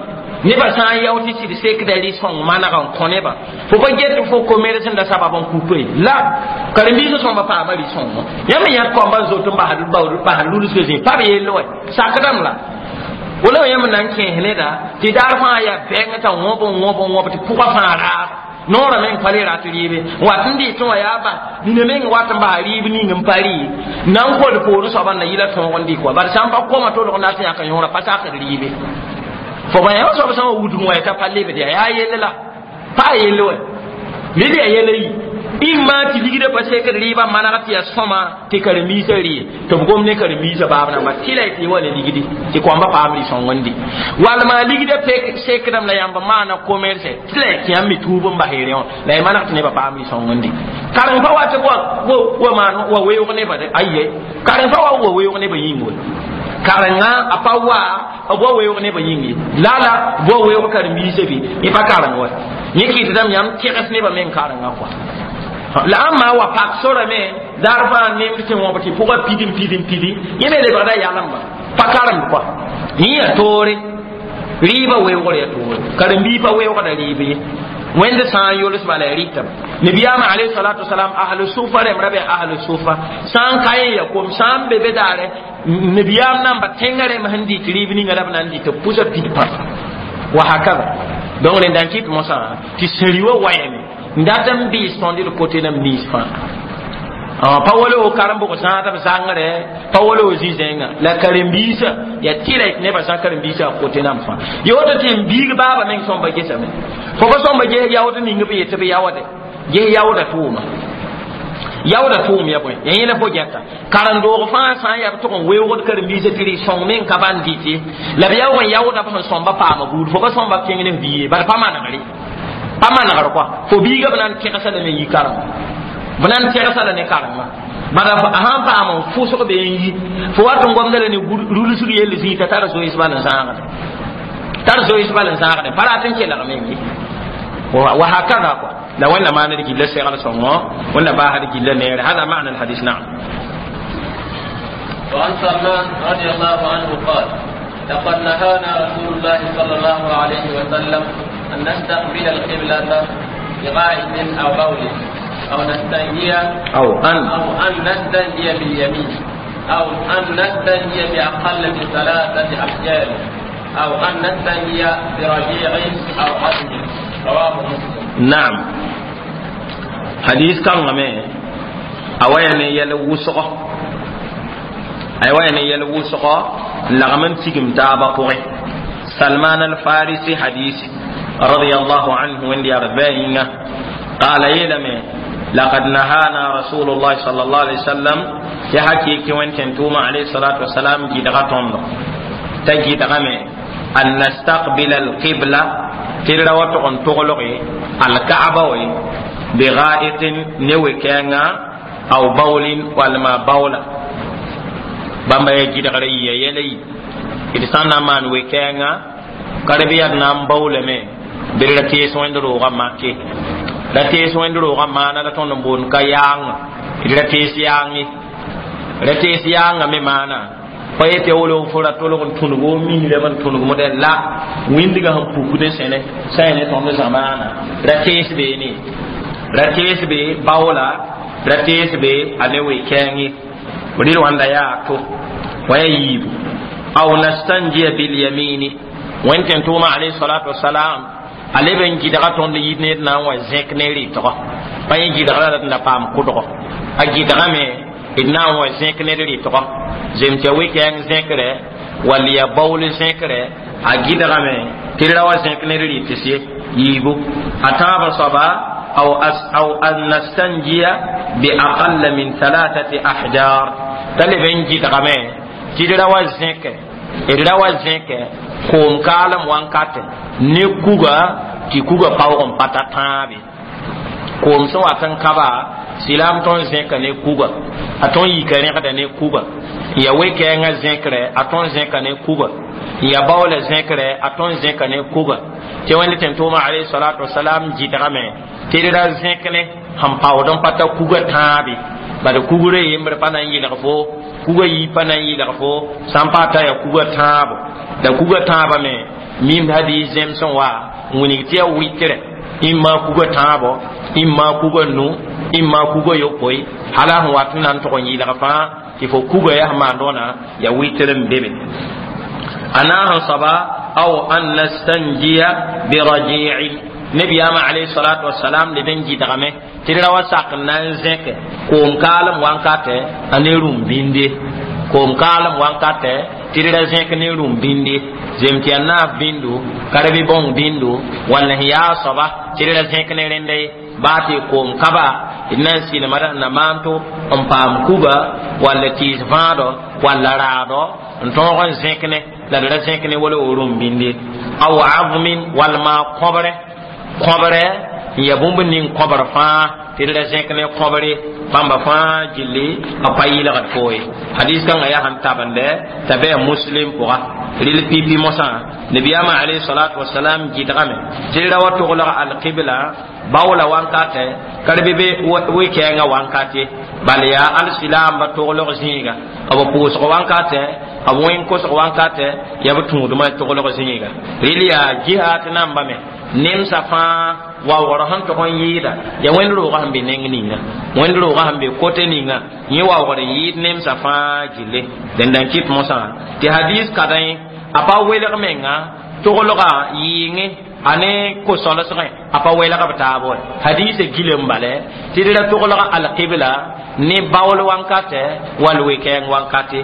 Neba sã n yao tɩ sɩd sekda rɩ-sõng maneg n kõ nebã fo pa get fo commerce n da sabab n kupe la karen-biisã sõmba paama rɩ-sõngõ yãmb me yãd koamba n zot n basd lulsga zĩ pa b yell wɛ sakdame la wala yãmb na n kẽes neda tɩ daar fãa yaa bɛng t'a wõb n wõb n wõb tɩ pʋgã fãa raag noorã meng pa le rat rɩɩbe wat n dɩ tɩ wã yaa ba nina meng wat n bas rɩɩb ning n pa rɩ na n kod poorẽ soaba n na yɩla tõog n dɩk wa bala sã n pa koma tolg n dat n yãk yõora pa sakd rɩɩbe fo ba yã soab sã n wa wudg wã t'a pa lebd yaa yaa yell la pa a yell wɛ ned yaa yɛla yi imma tɩ ligdã pa sekd rɩɩbã maneg tɩ yaa sõma tɩ karen-biisã rɩ tɩ b gom ne karen-biisã baab namba tɩ la tɩ wa ne ligdi tɩ koamba paam rɩ-sõng n dɩ walma ligdã sekdame la yãmb maana commerce tɩ la tɩ yãmb me tuub n bas rẽ wã la y maneg tɩ nebã paam rɩ-sõng n dɩ karen pa wa tɩ wa maan wa weoog nebã de aye karen pa wa wa weoog nebã yĩng we karenga a pa wa b wa weoog nebã yĩng ye lala b wa weoog karen-biisã bɩ yẽ pa kareng wa yẽ kɩtdame yãmb tegs nebã meng karenga kɔa la ãmba wa pak sorame daar fãa nemd sẽn wõb tɩ pʋgã pid n pid n pidi yẽ me lebgda yalemba pa karemd kɔa yẽ yaa toore rɩɩbã weoogr yaa toore karen-biig pa weoogda rɩɩb ye wẽnd sã n yols bala ya rɩtame nabiyaamã alayhi salatu wasalam ahlu sufa rẽmb ra be ahlu sufa sã n ka yẽ ya kom sã n be be daare nabiyaam namba tẽngã rẽmb sẽn dɩt rɩɩb ninga la b na n dɩ tɩ b pʋsa pid pãs wa hakada donc rẽnda n kɩt mosã tɩ sẽri wa wayame n dat n bɩɩs tõnd d kote nam nins fãa pa wala o karen-bʋg zãadb zãngre pa wala o zĩ-zẽnga la karen-biisã yaa tɩ la nebã sã karen-biisã a kote nam fãa ya woto tɩ n biig baaba meng sõmba gesame fo pa sõmba ges yaood ning b yetɩ b yaoode ges yaooda tʋʋma yaooda tʋʋm ya bõe ya yẽla fo gɛta karen-doog fãa sã n yaa b tʋg n weoogd karen-biisã tɩ rɩ-sõng meng ka ban dɩt ye la b yaoog n yaooda b sẽn sõmba paama buud fo pa sõmba kẽng ne f biige bala pa manegre pa manegr kɔa fo biiga b na n tẽgsa lame yi karengã b na n tẽgsa la ne karengã bala a sãn paam n fʋsg be n yi fo wat n gomda la ne rulsg yell zĩig t'a tar zoees bal n zãagde tar zoees bal n zãagde pa rat n kelg meng ye wa hakada kɔa la wẽnna maand gilla segl sõngo wẽnna baasd gilla neere hada معنى الحديث نعم. وعن سلمان رضي الله عنه قال لقد نهانا رسول الله صلى الله عليه وسلم أن نستقبل القبلة بغائط أو بول أو نستنجي أو أن أو أن نستنجي باليمين أو أن نستنجي بأقل من ثلاثة أحجار أو أن نستنجي برجيع أو عظم. رواه مسلم. نعم. حديث كان غمي أوين يلوسقه أوين يلوسقه لغمن تيجم تابا قوي سلمان الفارسي حديث رضي الله عنه وندي أربعين قال يلمي لقد نهانا رسول الله صلى الله عليه وسلم يحكي كوين تنتوما عليه الصلاة والسلام جدغتهم تجي دغمي أن نستقبل القبلة تلوتغن تغلقي الكعبة بغائط نوكينا أو بول والما بولا بamba ya gidgre ya yɛlɛ d sã n na n maan we-kɛɛngã ka b yaa d na n baoolame bɩ ra tees wẽnd roogã make ra tees wẽnd roogã maana la tõnd n boond ka yaanga d ra tees yaang ye ra tees yaangã me maana pa yetɩ wolo fo ra tolg n tũnug o misrame n tũnug modɛl la wĩndgã sẽn pukd n sẽne sã ya ne tõnd zamaana ra tees beene ra tees be baoola ra tees be a ne we-kɛɛng ye rɩl wãnda yaa to wa ya yiibu aw nastanjiya bilyamini wẽnd tẽn tʋʋma alayhi salatu wasalam a leb n gɩdga tõnd yit ned na n wa zẽk ne rɩtgɔ pa yẽ gɩdgra la d na paam kʋdgɔ a gɩdgame d na n wa zẽk ned rɩtgɔ zem tɩ ya we-kɛɛng zẽkre wall ya baool zẽkre a gɩdgame tɩ d ra wa zẽk ned rɩts ye yiibu a tãabã soaba aw aw an nastanjiya bi aqalla min thalathati ahjar t'a leb n gɩdgame tɩ d ra wa zẽke d ra wa zẽke koom kaalem wãnkate ne kuga tɩ kuga paoog n pa ta tãabe koom sẽn wat n kaba silaam tõnd zẽka ne kuga a tõnd yika rẽgda ne kuga n ya we-kɛɛngã zẽkre a tõnd zẽka ne kuga n ya baoola zẽkre a tõnd zẽka ne kuga tɩ wẽnd tẽn tʋʋma alayhi salatu wasalam gɩdgame tɩ d ra zẽk ne sẽn paood n pa ta kuga tãabe bad kugre yembr pa na n yɩlg fo kuga yi pa na n yɩlg fo sã n pa ta ya kuga tãabo la kuga tãabame Mim hadis zẽms sẽn wa n wilg tɩ yaa wɩtrɛ imma kuga tãabo, imma kuga nu, imma kuga yopoe, hala sẽn wat n na n tog n yɩlg fãa tɩ fo kuga yaa sẽn maand wãna ya wɩtr n be be. A naas n soaba aw an nastanjiya biraji'in. Nabiyaamã alayhi salatu wasalam leb n gɩdgame tɩ d ra wa sak n na n zẽke koom kaalem wankatɛ a ne rũm bĩnde, koom kaalem wankatɛ tɩ d ra zẽk ne rũm bĩnde, zem tɩ yaa naaf bĩndu, karbi bõng bĩndu, wall sẽn yaa a soaba tɩ d ra zẽk ne rẽnda ye, baa tɩ koom kaba d na n sɩlma d na maan to n paam kuga wall tɩɩs vãadɔ walla raadɔ n tõog n zẽk ne la d ra zẽk ne wala wo rũm bĩnde. Aw azmin wall maa kõbre, kõbre n ya bũmb ning kõbr fãa tɩ d ra zẽk ne kõbre bãmba fãa gilli a pa yɩlgd foo ye. Hadis kãngã yaa sẽn tabende t'a bɩ Muslim pʋga rɩl pipi mosã. Nabiyaamã alayhi salatu wasalam gɩdgame tɩ d ra wa toglg alqibla baoola wankatɛ ka d be wɩ-kɛɛngã wankate, bal yaa alsilaamba toglg zĩiga, b pʋʋsg wankatɛ, b wẽn-kosg wankatɛ, yaa b tũudmã toglg zĩiga. Rɩl yaa jihat nambame nemsa fãa waoogr sẽn tog n yɩɩda ya wẽnd roogã sẽn be neng ninga, wẽnd roogã sẽn be kote ninga, yẽ waoogr n yɩɩd nemsã fãa gille. Dẽnda n kɩt mosã tɩ hadis kadẽ a pa welg menga toglga yɩɩngẽ a ne ko-solsgẽ, a pa welg b taab wa. Hadisã gilem bale tɩ d ra toglg alqibla ne baool wankatɛ wall we-kɛɛng wankate.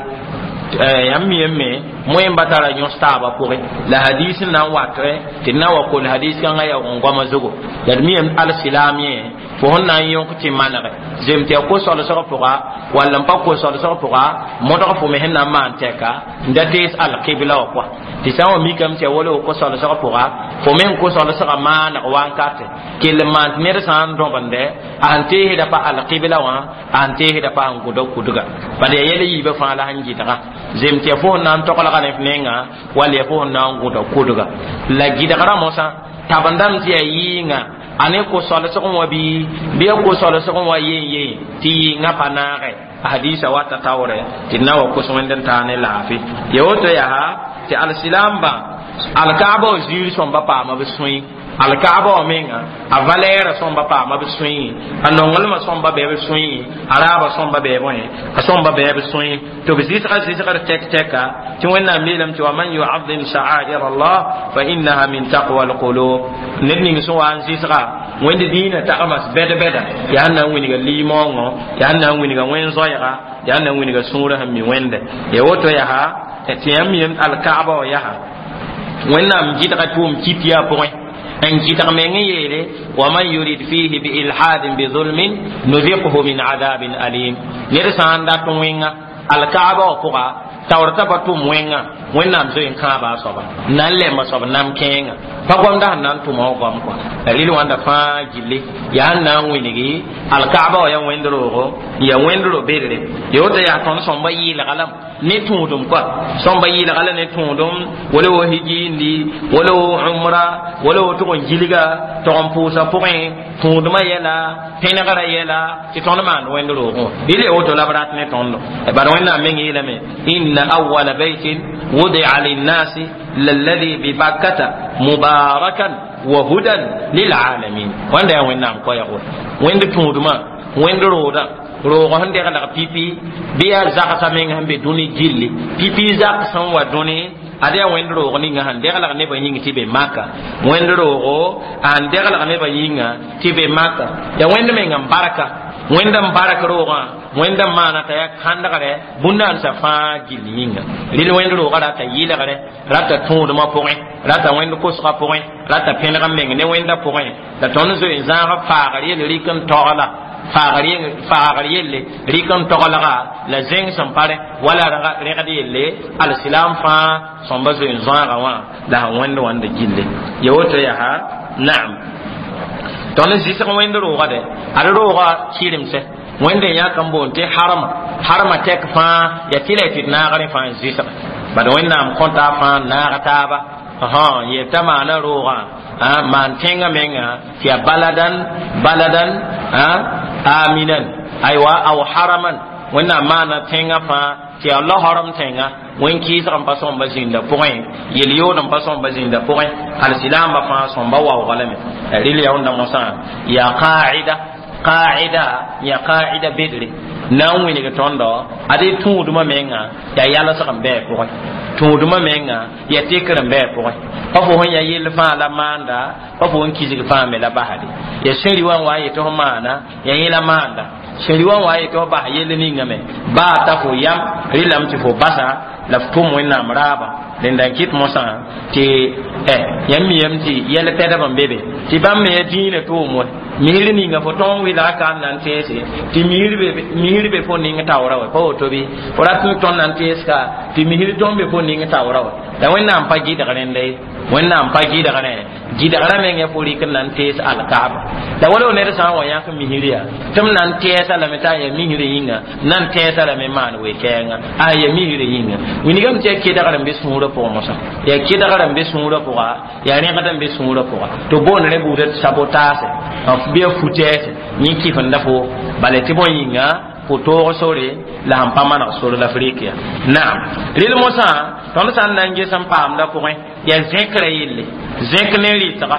Yãmb mi me moẽmba tara yõs taabã pʋgẽ la hadis n na n wat tɩ d na n wa kol hadis kãngã yaa n goama zugu. La d mi alsilaam yẽ fo sẽn na n yõk tɩ manege zem tɩ ya ko-solsg pʋga wall n pa ko-solsg pʋga modg fo me sẽn na n maan tɛka n da tees alqibla wã pʋga. Tɩ sã n wa mikame tɩ ya wala ko-solsg pʋga fo me n ko-solsgã maaneg wankate kell n maan tɩ ned sã n dõbende a sẽn teesda pa alqibla wã, a sẽn teesda pa sẽn gʋda kudga, bala yaa yɛl yiibã fãa la sẽn gɩdga zem tɩ ya fo sẽn na n toglga ne f nenga wall ya fo sẽn na n gʋda kudga. La gɩdgrã mosã tabendame tɩ yaa yɩɩnga a ne ko-solsg wã bɩ bɩ ya ko-solsg wã yen yen tɩ yɩɩngã pa naage. A hadisa wata taoore tɩ d na wa kos wẽnd n taa ne laafɩ ya woto yaa tɩ alsilaambã alkaaba wã ziir sõmba paama b sõe, alkaaba wã menga a valɛɛrã sõmba paama b sõe, a nonglmã sõmba bɩ b sõe, a raabã sõmba bɩ bõe a sõmba bɩ b sõe, tɩ b zɩsga zɩsgr tɛk tɛka tɩ Wẽnnaam yeelame tɩ wa man yuazim sha'air Allah fa innaha min taqwa alqulub. Ned ning sẽn wa n zɩsga Wẽnd diinã tagmas bɛd-bɛda yaa n na n wilga limaoongõ, yaa n na n wilga wẽn-zoɛɛga, yaa n na n wilga sũurã sẽn mi Wẽnde ya woto yaa tɩ yãmb yem alkaaba wã yaa Wẽnnaam gɩdga tʋʋm kip yaa pʋgẽ n gɩdg meng n yeele wa man yurid fihi biilhadin bizulmin nuziqhu min adabin alim. Ned sã n dat wẽnga alkaaba wã pʋga taoor t'a pa tʋm wẽnga, Wẽnnaam zoe n kãaba a soaba n na n lemba soab nam kẽenga pa goamda sẽn na n tʋma wã goam kɔa la rɩl wãnda fãa gilli yaa n na n wilgi alkaaba wã yaa wẽnd roogo n yaa wẽnd ro-bedre ya woto yaa tõnd sõmba yɩɩlga lame ne tũudum kɔa sõmba yɩɩlga la ne tũudum wala wo hijiindi wala wo umra wala wo tʋg n gilga tog n pʋʋsa pʋgẽ tũudmã yɛla pẽnegrã yɛla tɩ tõnd maand wẽnd roogẽ rɩl ya woto la b rat ne tõndo. Bala Wẽnnaam meng yeelame inna awala baytin wudi'a linnasi lalladhi bibakkata mubarakan wa hudan lilalamin. Wãnda yaa Wẽnnaam koɛɛgo wẽnd tũudmã wẽnd roodã roog sẽn deglg pipi bɩ yaa zagsã meng sẽn be dũni gilli pipi zak sẽn wa dũni ad yaa wẽnd roog ninga sẽn deglg nebã yĩng tɩ be Maka, wẽnd roogo a sẽn deglg nebã yĩnga tɩ be Maka yaa wẽnd meng n barka, wẽnd n bark roogã wẽnd n maana t'a yaa kãndgre bũn-dãansã fãa gill yĩnga. Rɩl wẽnd roogã rata yɩlgre rata tũudmã pʋgẽ, rata wẽnd kosgã pʋgẽ, rata pẽneg n meng ne wẽndã pʋgẽ la tõnd zoe n zãag faagr yel rɩk n togla faagr yelle rɩk n toglga la zẽng sẽn pare wala rẽgd yelle alsilaam fãa sõmba zoe n zãaga wã la sẽn wẽnd wãnda gille ya woto yaa naam. Tõnd zɩsg wẽnd roogã dɛ ad roogã kɩremsɛ wẽnd n yãk n boond tɩ harma harma tɛk fãa ya tɩ la y tɩ d naagr fãa n zɩsg bad Wẽnnaam kõta fãa n naag taaba yel t'a maana roogã maan tẽngã menga tɩ yaa baladan baladan aminan aywa aw haraman Wẽnnaam maana tẽngã fãa. Tɩ yaa laoorem tẽnga wẽn kɩɩsg n pa sõmba zĩnda pʋgẽ yel-yood n pa sõmba zĩnda pʋgẽ alsilaambã fãa sõmba waooga lame rɩl yaoonda mosã yaa qaida qaida yaa qaida bedre na n wilg tõndo ad y tũudmã menga yaa yalsg n bɩ a pʋgẽ tũudmã menga yaa tekr n bɩ a pʋgẽ pa fo sẽn yaa yell fãa la maanda pa fo n kisg fãa me la basde yaa sẽri wã n wa n yetɩ fo maana yaa yẽ la maanda sẽri wã n wa n yetɩ fo bas yell ninga me baa ta fo yam rɩlame tɩ fo basa la f tʋm wẽnnaam raaba rẽnda n kɩt mosã tɩ yãmb miyame tɩ yɛl pɛdb n be be tɩ bãmb me yaa dĩinã tʋʋm wɛ misr ninga fo tõog n wɩlga ka n na n teese tɩ misr be fo ning taoora wɛ pa woto bɩ fo rat n tõnd na n tees ka tɩ misr tõnd be fo ning taoora wɛ la wẽnnaam pa gɩdg rẽnda ye wẽnnaam pa gɩdg rẽ gɩdgrã meng yaa fo rɩk n na n tees alkaaba la wala ned sã n wa yãk misr yaa tɩ m na n tɛɛsa lame t'a yaa misr yĩnga na n tɛɛsa lame maan we-kɛɛnga a yaa misr yĩnga wilgame tɩ yaa kedgr n be sũurã pʋgẽ mosã yaa kedgr n be sũurã pʋga yaa rẽgd n be sũurã pʋga tɩ boond rẽ buudã tɩ sabotaase bɩ a fu-tɛɛse yẽ kɩfenda fo bala tɩ bõe yĩnga fo toog sore la sẽn pa maneg sore la f rɩk ya naam rɩl mosã tõnd sã n na n ges n paamda pʋgẽ yaa zẽkrã yelle zẽk ne rɩtga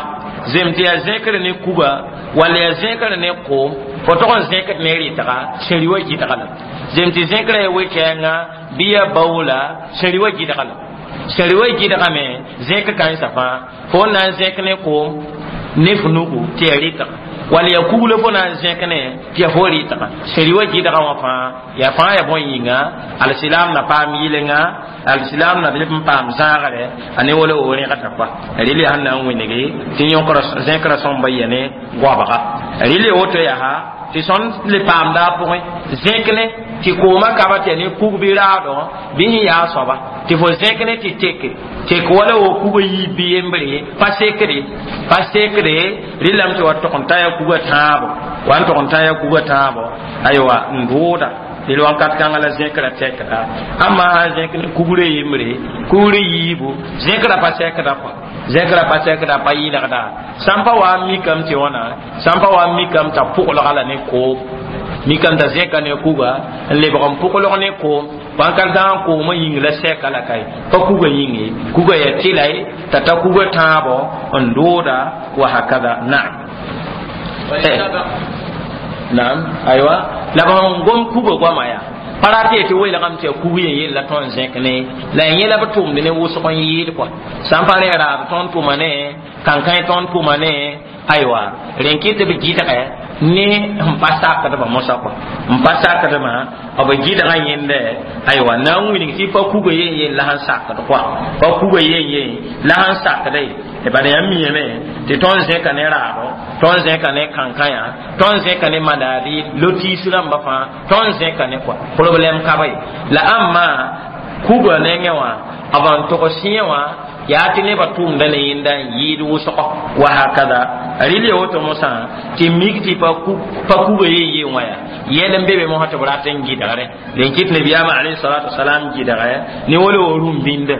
zem tɩ yaa zẽkr ne kuga walla yaa zẽkr ne koom fo tog n zẽkd ne rɩtga sẽri wa gɩdga la zem tɩ zẽkrã yaa we-kɛɛnga bɩ yaa baoola sẽri wa gɩdga la sẽri wa gɩdgame zẽk kãensã fãa fo n na n zẽk ne koom ne f nugu tɩ yaa rɩtga walla yaa kuglo fo na n zẽk ne tɩ yaa fo rɩtga sẽri wa gɩdga wã fãa yaa fãa yaa bõe yĩnga alsilaam na paam yɩlenga alsilaam na leb n paam zãagre a ne wala o rẽgda kɔa rɩl yaa sẽn na n wĩnge tɩ yõkra zẽkra sõmba yɛ ne goabga rɩl ya woto yaa tɩ sõnd le paamda a pʋgẽ zẽk ne tɩ koomã kaba tɩ yaa ne kug bɩ raado bɩ sẽn yaa soaba tɩ fo zẽk ne tɩ teke tek wala wo kuga yiib bɩ yembre pa sekde pa sekde rɩlame tɩ wa tog n ta yaa kuga tãabo wa n tog n ta yaa kuga tãabo aywa n dʋʋda rɩl wãnkat kãngã la zẽkra tɛkda amma sã n zẽk ne kugre yembre kugre yiibu zẽkra pa sɛkda kɔa zẽkra pa sɛkda pa yɩlgda sã n pa wa n mikame tɩ wãna sã n pa wa n mikame t'a pʋglga la ne koom mikame t'a zẽka ne kuga n lebg n pʋglg ne koom wãnkat kãngã koomã yĩng la sɛka la kae pa kuga yĩng ye kuga yaa tɩla ye t'a ta kuga tãabo n dʋʋda wa hakada naam naam aywa la b sẽn gom kuga goama yaa pa rat tɩ welgame tɩ yaa kug yen yella tõnd zẽk ne la ya yẽla b tʋmd ne wʋsg n yɩɩd kɔa sã n pa rẽ raab tõnd tʋma ne kãnkãe tõnd tʋma ne aywa rẽn kɩ tɩ b gɩdgɛ ne n pa sakdbã mosã kɔa n pa sakdmã b gɩdgã yẽndɛ aywa na n wilg tɩ pa kuga yen yen la sẽn sakd kɔa pa kuga yen yen la sẽn sakda ye bala yãmb miyame tɩ tõnd zẽka ne raabo tõnd zẽka ne kãnkãyã tõnd zẽka ne madaadi lotiis rãmba fãa tõnd zẽka ne kɔa problɛm ka ba ye la ãmba kuga nengẽ wã b n tog sẽe wã yaa tɩ nebã tʋʋmda ne yẽnda n yɩɩd wʋsgɔ wa hakada rɩl ya woto mosã tɩ mik tɩ pa kuga yen yen wã yaa yɛl n be be mosã tɩ b rat n gɩdgre rẽn kɩt nabiyaamã alayhi salatu wasalam gɩdgɛ ne wala wa rũm bĩnda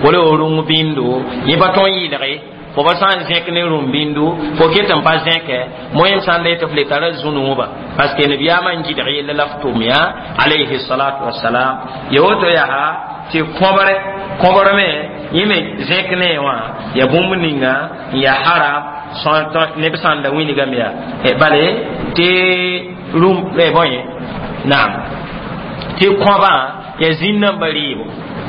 wala wa rũng bĩndo yẽ pa tõn yɩlge fo pa sã n zẽk ne rũm bĩndu fo ket n pa zẽkɛ moyem sã n da yetɩ f le tara zũ-noobã parce que nabiyaamã n gɩdg yella la f tʋm yaa alayhi salatu wasalam ya woto yaa tɩ kõbre kõbr me yẽ me zẽk ne wã ya bũmb ninga n yaa haram neb sã n da wilgame yaa bale tɩ rũm bõe naam tɩ kõbã yaa zĩn-nambã rɩɩbo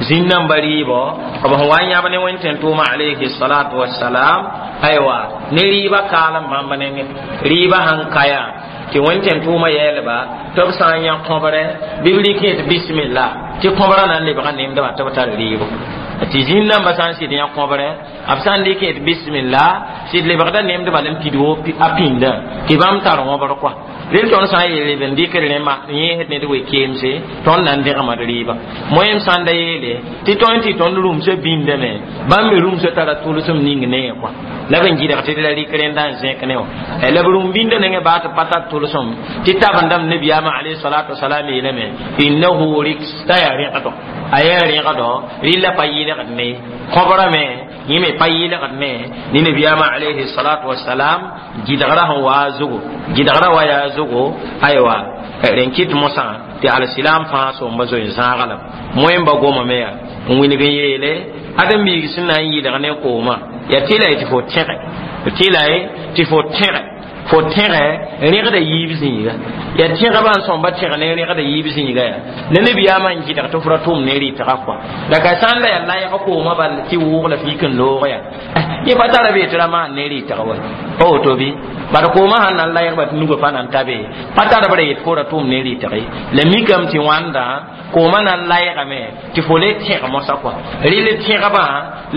zĩn-nambã rɩɩbɔ b sẽn wa n yãb ne wẽn-tẽn-tʋʋmã alayhi salatu wasalam aywa ne rɩɩbã kaalem bãmb nengẽ rɩɩbã sãn ka yaa tɩ wẽn-tẽn-tʋʋmã yɛɛlba tɩ b sã n yã kõbre bɩ b rɩk yẽ tɩ bisimilla tɩ kõbrã na n lebga nemdbã tɩ b tar rɩɩbo tɩ zĩn-nambã sã n sɩd yã kõbre b sã n rɩk yẽ tɩ bisimilla sɩd lebgda nemdbã la n pid a pĩndã tɩ bãmb tar wõbr kɔa rel tõnd sã n yeel b n dɩkd rẽmba yẽesd ned we-keemse tõnd na n dẽgmd rɩɩba moyem sã n da yeele tɩ tõnd tɩ tõnd rũmsã bĩndame bãmb me rũmsã tara tʋlsem ning ne kɔa la b n gɩdg tɩ la rɩk rẽnda n zẽk ne wã la b rũm bĩndã nengẽ baa tɩ pa tar tʋlsem tɩ tabendame nabiyaamã alayhi salatu wasalam yeelame innahu riks t'a yaa rẽgdo a yaa rẽgdo rɩlla pa yɩlgd ne kõbrã me yẽ me pa yɩlgd ne ne nabiyaamã alayhi salatu wasalam gɩdgrã sẽn waa zugu gɩdgrã wa yaa zugu aywa Rẽn kɩt mosã tɩ alsilam fãa sõmba zoe zãaga lame moẽmba gomame yaa n wilg n yeele ãdem-biig sẽn na n yɩlg ne koomã yaa tɩ la ye tɩ fo tẽge tɩ la ye tɩ fo tẽge fo tẽge rẽgda yiib zĩiga yaa tẽgebã n sõmba tẽg ne rẽgda yiib zĩiga yaa ne nabiyaamã n gɩdg tɩ f ra tʋm ne rɩtga kɔa la ka sã n la yaa layg koomã bal tɩ wʋʋg la fiik n loog yaa yẽ pa tara bee tɩ ra maan ne rɩtg wa pa woto bɩ bad koomã sãn na n laygba tɩ nugã pa na n ta be pa tar b ra yet fo ra tʋm ne rɩtge la mikame tɩ wãnda koomã na n laygame tɩ fo le tẽg mosã kɔa rɩl tẽgbã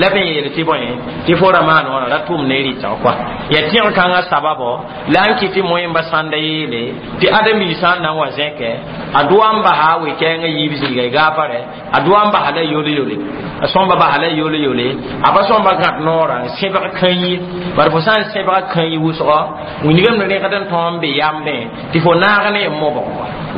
la b n yeel tɩ bõe tɩ fo ra maan wãna ra tʋm ne rɩtg kɔa yaa tẽg kãngã sababo la n kɩ tɩ moẽmba sãnda yeele tɩ ãdem-biig sã n na n wa zẽkɛ a doa n basa we-kɛɛngã yiib zĩiga y gaafare a doa n basa la yole-yole a sõmba basa la yole-yole a pa sõmba gãd noorã n sẽbg kãn-yi bari fo sã n sẽbga kãn-yi wʋsgɔ wilgame rẽgd n tõog n be yambẽ tɩ fo naag ne mobg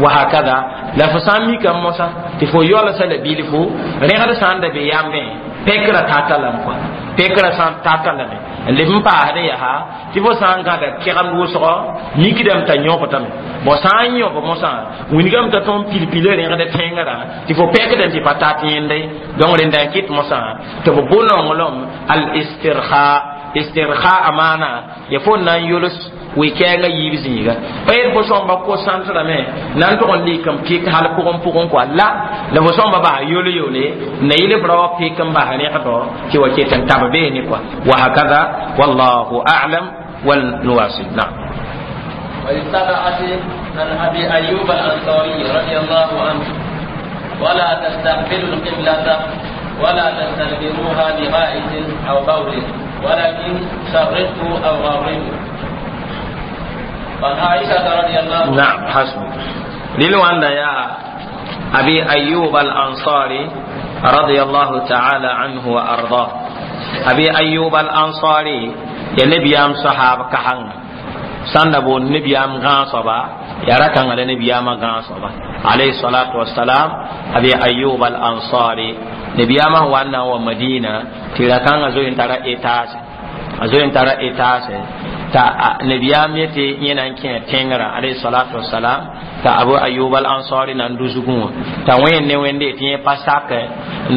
wa hakada la fo sã n mikame mosã tɩ fo yaolsa la bilfu rẽgd sã n da be yambẽ pekra tata lame kɔa pekra sã n tata lame n leb n paasdẽ yaa tɩ fo sã n gãda kɛgemd wʋsgɔ mikdame t'a yõbdame bõ sã n yõb mosã wilgame t'a tõnd pil-pila rẽgd tẽngrã tɩ fo pekdẽ tɩ pa tat yẽnde donc rẽnda n kɩt mosã tɩ b bʋ nonglem al istirha istirha maana ya fo na n yols we-kɛɛngã yiib zĩiga pa yet fo sõmba ko-sãntrame na n tʋg n lik n pɩk hal pʋgẽ pʋgẽ kɔa la la fo sõmba bas yole-yole na yɩl f ra wa pɩk n bas rẽgdɔ tɩ wa ket n tab beene kɔa wa hakada wallahu a'lam والنواصل نعم. وللسبعة عن أبي أيوب الأنصاري رضي الله عنه ولا تستقبلوا القبلة ولا تستدبروها بغائط أو بول ولكن شرقوا أو غربوا. وعن عائشة رضي الله عنها نعم حسبك للوان يا أبي أيوب الأنصاري رضي الله تعالى عنه وأرضاه أبي أيوب الأنصاري يا نبيام صحابة كحن سندبو نبيام غانصبا يا ركان على نبيام غانصبا عليه الصلاة والسلام أبي أيوب الأنصاري نبيام وانا ومدينة تلكان أزوين ترى إتاس أزوين ترى إتاس ta nabiyam yete yẽna n kẽ tẽngrã alayhi salatu wasalam t'a abu ayub al ansari na n dusgẽ wã t'a wẽnd ne wẽnde tɩ yẽ pa sakɛ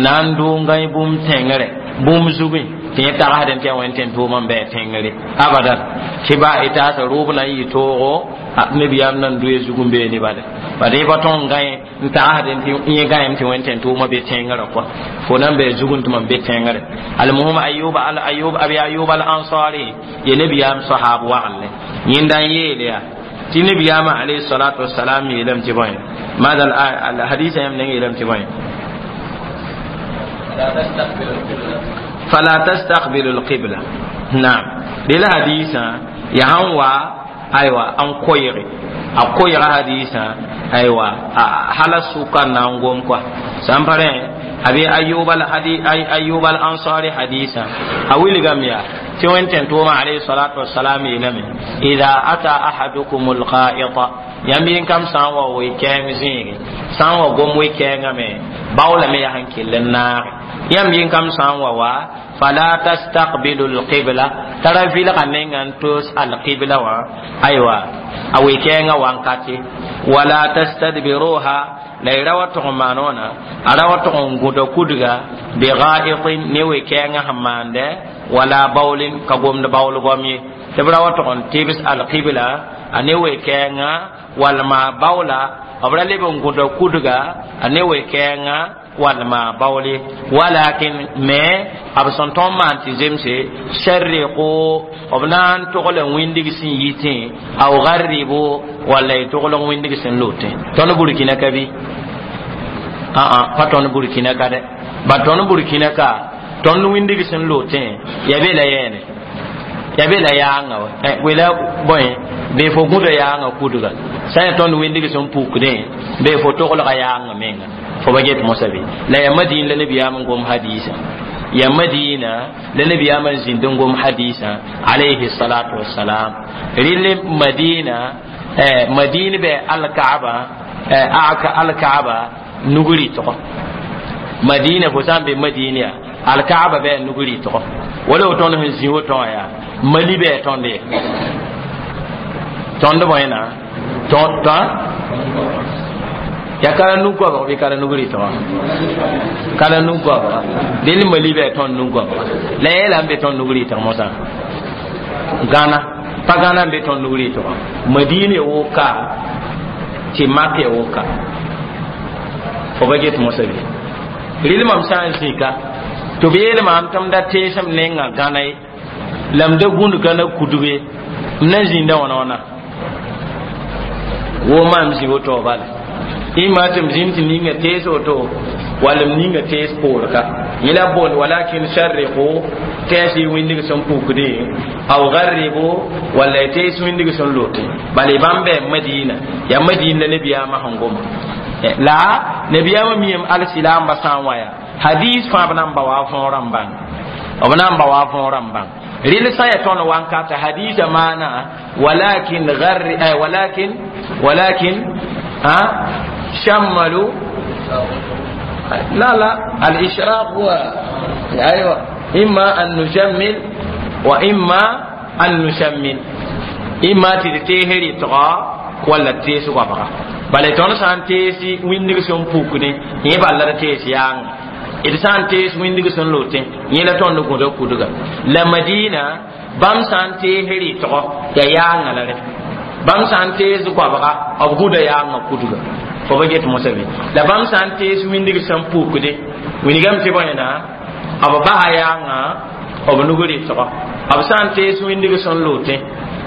na n dʋ n gãe bũmb tẽngre bũmb zugẽ tɩ yẽ tagsdẽ tɩ ya wẽnd tẽn tʋʋm n bɩ tẽngre abadan tɩ ba etaasã rʋʋb na n yɩ toogo nabiyam na n doe zug n beene bala bad yẽ pa tõg n gãe n tagsdẽ tɩ yẽ gãem tɩ wẽnd tẽn tʋʋmã be tẽngrã kɔa fo na n bɩ zugẽ tɩ mam be tẽngre almuhim ayub al ayub abi ayub al ansari ye nabiyam sahab wagle yẽnda n yeele yaa tɩ nabiyaamã alayhi salatu wasalam yeelame tɩ bõe maada hadisa yãmb neng yeelame tɩ bõe fala tastaqbilu alqibla naam rela hadisa ya sãn wa aywa n koɩge a koɩga hadisa aywa hala sʋka n na n gom kɔa sã n pa rẽ abi ayub al ayub al ansari hadisa a wilgame yaa tɩ wẽnd tẽn tʋʋmã alayhi salatu wasalam yeelame ida ata ahadukum alqa'ita yãmb yẽn kam sã n wa we-kɛɛng zĩige sã n wa gom we-kɛɛngame baoolame yaa sẽn kell n naage yãmb yẽn kam sã n wa wa fala tastaqbilu alqibla tara vilga nenga n tos alqibla wã aywa a we-kɛɛngã wankate wala tastadbiruha la y ra wa tʋg n maan wãna a ra wa tʋg n gũda kudga bigaitin ne we-kɛɛngã sẽn maandɛ wala baoolin ka gomd baool goam ye tɩ b ra wa tʋg n tɩbs alqibla a ne we-kɛɛngã walma baoola b ra leb n gũda kudga a ne we-kɛɛngã walma baoole walakin me b sẽn tõnd maan tɩ zemse sharriqu b na n togl n wĩndig sẽn yitẽ aw garribu walla y togl n wĩndig sẽn lotẽ tõnd burkina ka bɩ aa pa tõnd burkina ka dɛ ba tõnd burkina ka tõnd wĩndig sẽn lotẽ ya be la yɛɛne ya be la yaanga wa wela bõe bee fo gũda yaanga kudga sã n ya tõnd wĩndig sẽn pukdẽ bee fo toglga yaanga menga fo ba get mosa be la ya madina la nabiyaam n gom hadisa ya madina la nabiyaam n zĩnd n gom hadisa alayhi salatu wassalam rɩl madina madina bɛ alkaaba aka alkaaba nugri tɔgɔ madina fo sã n be madina ya alkaaba bɛ nugri tɔgɔ wala wo tõnd sẽn zĩ woto wã yaa mali bɛ tõnd ye tõnd bõe na tõ Ya kala nu-goabg bɩ kala nug rɩtgã kala nu-goabga dẽnd mali bɩ tõnd nu-goabga la yeelame be tõnd nug rɩtg mosã Gãna pa Gãna n be tõnd nug rɩtgã Madina woka tɩ Mak woka fo ba get mosã bɩ rɩl mam sã n zĩka tɩ b yeel maam tɩ m da teesem nengã Gãna ye la m da gũnd Gãna kudg ye m na zĩnda wãna wãna wo maam zĩ woto bala ima tɩ m zĩnd tɩ ninga tees woto wala m ninga tees poor ka yẽ la boond ولكن شرقوا tees y wĩndig sẽn pukdẽ أو غربوا walla y tees wĩndig sẽn lote bala bãmb bɩ Madina yaa Madina la nabiyaamã sẽn goma la nabiyaamã miyame alsilaambã sã n wa yaa hadis fãa b na n ba wa võorã n bãng b na n ba wa võorã n bãng rɩl sã ya tõnd wankata hadisa maana ولكن غر ولكن ولكن شملوا لا لا الإشراق هو أيوة إما أن نشمل وإما أن نشمل إما تتهري تغا ولا تيس وبغا bala tõnd sã n tees wĩndig sẽn pukdẽ yẽ bala la tees yaanga d sã n tees wĩndig sẽn lotẽ yẽ la tõnd gũda kudga la Madina bãmb sã n tees rɩtgɔ ya yaanga la rẽ bãmb sã n tees goabga b gũda yaanga kudga fo ba get mosã be la bãmb sã n tees wĩndig sẽn pukdẽ wilgame tɩ bõe na b basa yaanga b nug rɩtgɔ b sã n tees wĩndig sẽn lotẽ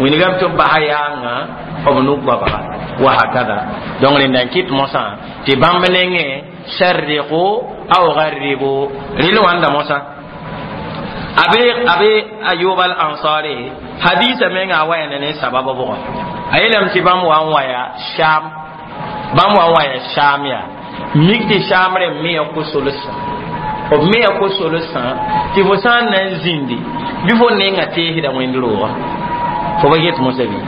wilgame tɩ b basa yaanga b nug goabga وهكذا donc rẽnda n kɩt mosã tɩ bãmb nengẽ شرقوا أو غربوا rɩl wãnda mosã abe abe Ayub al Ansari hadisa menga a waya ne sababa bʋgã a yeelame tɩ bãmb wa n waya Sham bãmb wa n waya Sham yaa mik tɩ Sham rẽ me ya ko-solsã b me ya ko-solsã tɩ fo sã n na n zĩndi bɩ fo nenga teesda wẽnd roogã fo ba get mosã bɩ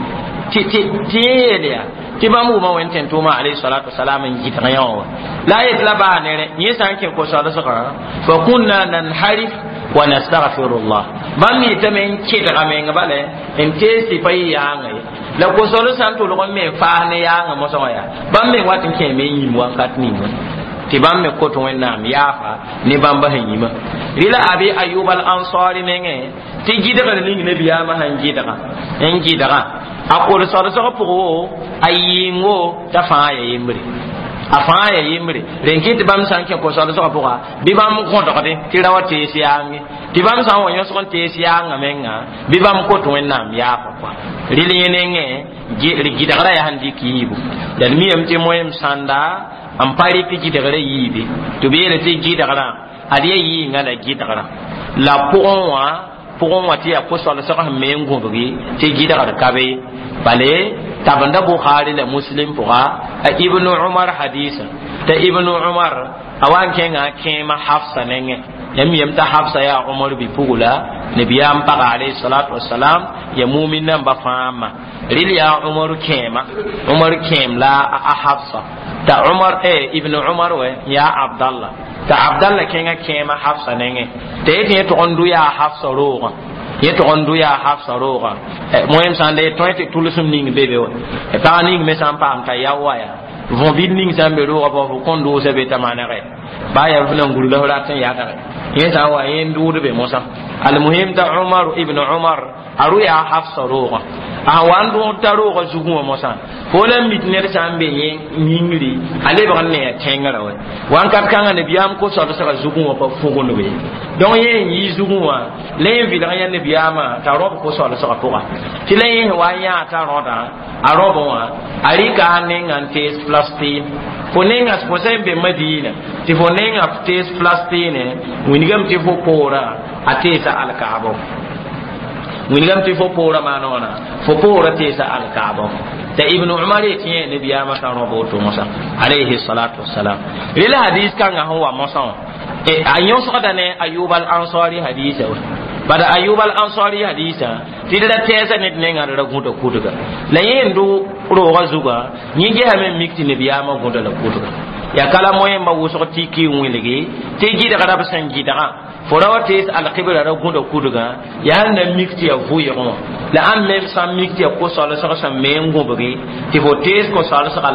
tɩ tɩ tɩ yẽ yeel yaa tɩ bãmb wʋma wẽnd tẽn tʋʋma alayhi salatu wasalam n gɩdg yã wã la a yet la baa nere yẽ sã n kẽ ko-solsgã فكنا ننحرف ونستغفر الله bãmb yetame n kɩdga meng bale n tees tɩ pa yɩ yaanga ye la ko-sol sã n tʋlg n me n faas ne yaanga mosã wã yaa bãmb me wat n kẽeme n yĩm wakat ninga tɩ bãmb me kot Wẽnnaam yaafa ne bãmba sẽn yĩma rɩla Abi Ayub al Ansari mengẽ tɩ gɩdgr ning nabiyaamã sẽn gɩdga n gɩdga a kol-solsg pʋg wo a yɩɩngo t'a fãa ya yembre a fãa ya yembre rẽn kɩ tɩ bãmb sã n kẽ ko-solsgã pʋga bɩ bãmb gõdgdẽ tɩ ra wa tees yaange tɩ bãmb sã n wa yõsg n tees yaangã menga bɩ bãmb kot Wẽnnaam yaafa kɔa rɩl yẽ nengẽ gɩdgrã yaa sẽn dɩk yiibu la d miyame tɩ moem sãnda n pa rɩk gɩdgrã yiibe tɩ b yeela tɩ gɩdgrã ad yaa yɩɩngã la gɩdgrã la pʋgẽ wã pʋgẽ wã tɩ yaa ko-solsg sẽn me n gũbgi tɩ gɩdgr ka be bale tabenda Bukhari la Muslim pʋga a Ibnu Umar hadisa t'a Ibnu Umar a wa n kẽnga a kẽema Hafsa nengẽ yãmb yem t'a Hafsa yaa Umar bi-pugla nabiyaam paga alayhi salatu wasalam ya mumin namba fãa ma rɩl yaa Umar kẽema Umar kẽem la a Hafsa t'a Umar eh, Ibnu Umar wɛ yaa Abdallah t'a Abdallah kẽnga kẽema Hafsa nengẽ t'a yetɩ yẽ tʋg n dʋ yaa Hafsa roogã yẽ tʋg n dʋ yaa Hafsa roogã moem sã n da tõe tɩ tʋlsem ning be be wa pag ning me sã n paam t'a yao wa yaa võ bil ning sã n be roogã pʋgã fo kõn dʋʋsa be t'a manegɛ baa yaa f nan gurga f rat n yadgɛ yẽ sã n wa yẽ n dʋʋd be mosã almuhim t'a Umar Ibn Umar a rʋ yaa Hafsa roogã a wa n dʋʋd t'a roogã zugẽ wã mosã fo la mit ned sã n be yẽ yĩngri a lebg n ne ya tẽngrã wɛ wãnkat kãngã nabiyaam ko-solsgã zugẽ wã pa fugundbe donc yẽ n yi zugẽ wã la yẽ vɩlg yã nabiyaamã t'a rõb ko-solsgã pʋga tɩ la yẽ wa n yãa t'a rõdã a rõbẽ wã a rɩka a nenga n tees Palestine fo nenga fo sã n be Madina tɩ fo nenga tees Palestine wilgame tɩ fo poorã a teesa alkaabo wilgame tɩ fo poorã maana wãna fo poorã teesa alkaabo t'a Ibnu Umar yetɩ yẽ nabiyaamã sã rõb woto mosã alayhi salatu wasalam rela hadis kãngã sẽn wa mosã wã a yõsgda ne Ayub al Ansari hadisa wa bada Ayub al Ansari hadisa tɩ d ra tɛɛsa ned nengã d ra gũda kudga la yẽ n dʋ roogã zugã yẽ gesame n mik tɩ nabiyaamã gũda la kudga ya kala moẽmba wʋsg tɩ n wilgi tɩ gɩdgra b sẽn gɩdgã fo ra wa tees alkibra ra gũda kudgã yaa sẽn na mik tɩ yaa vʋɩgẽ wã la ãmb me sã n mik tɩ yaa ko-solsg sẽn me n gũbgi tɩ fo tees ko-solsga.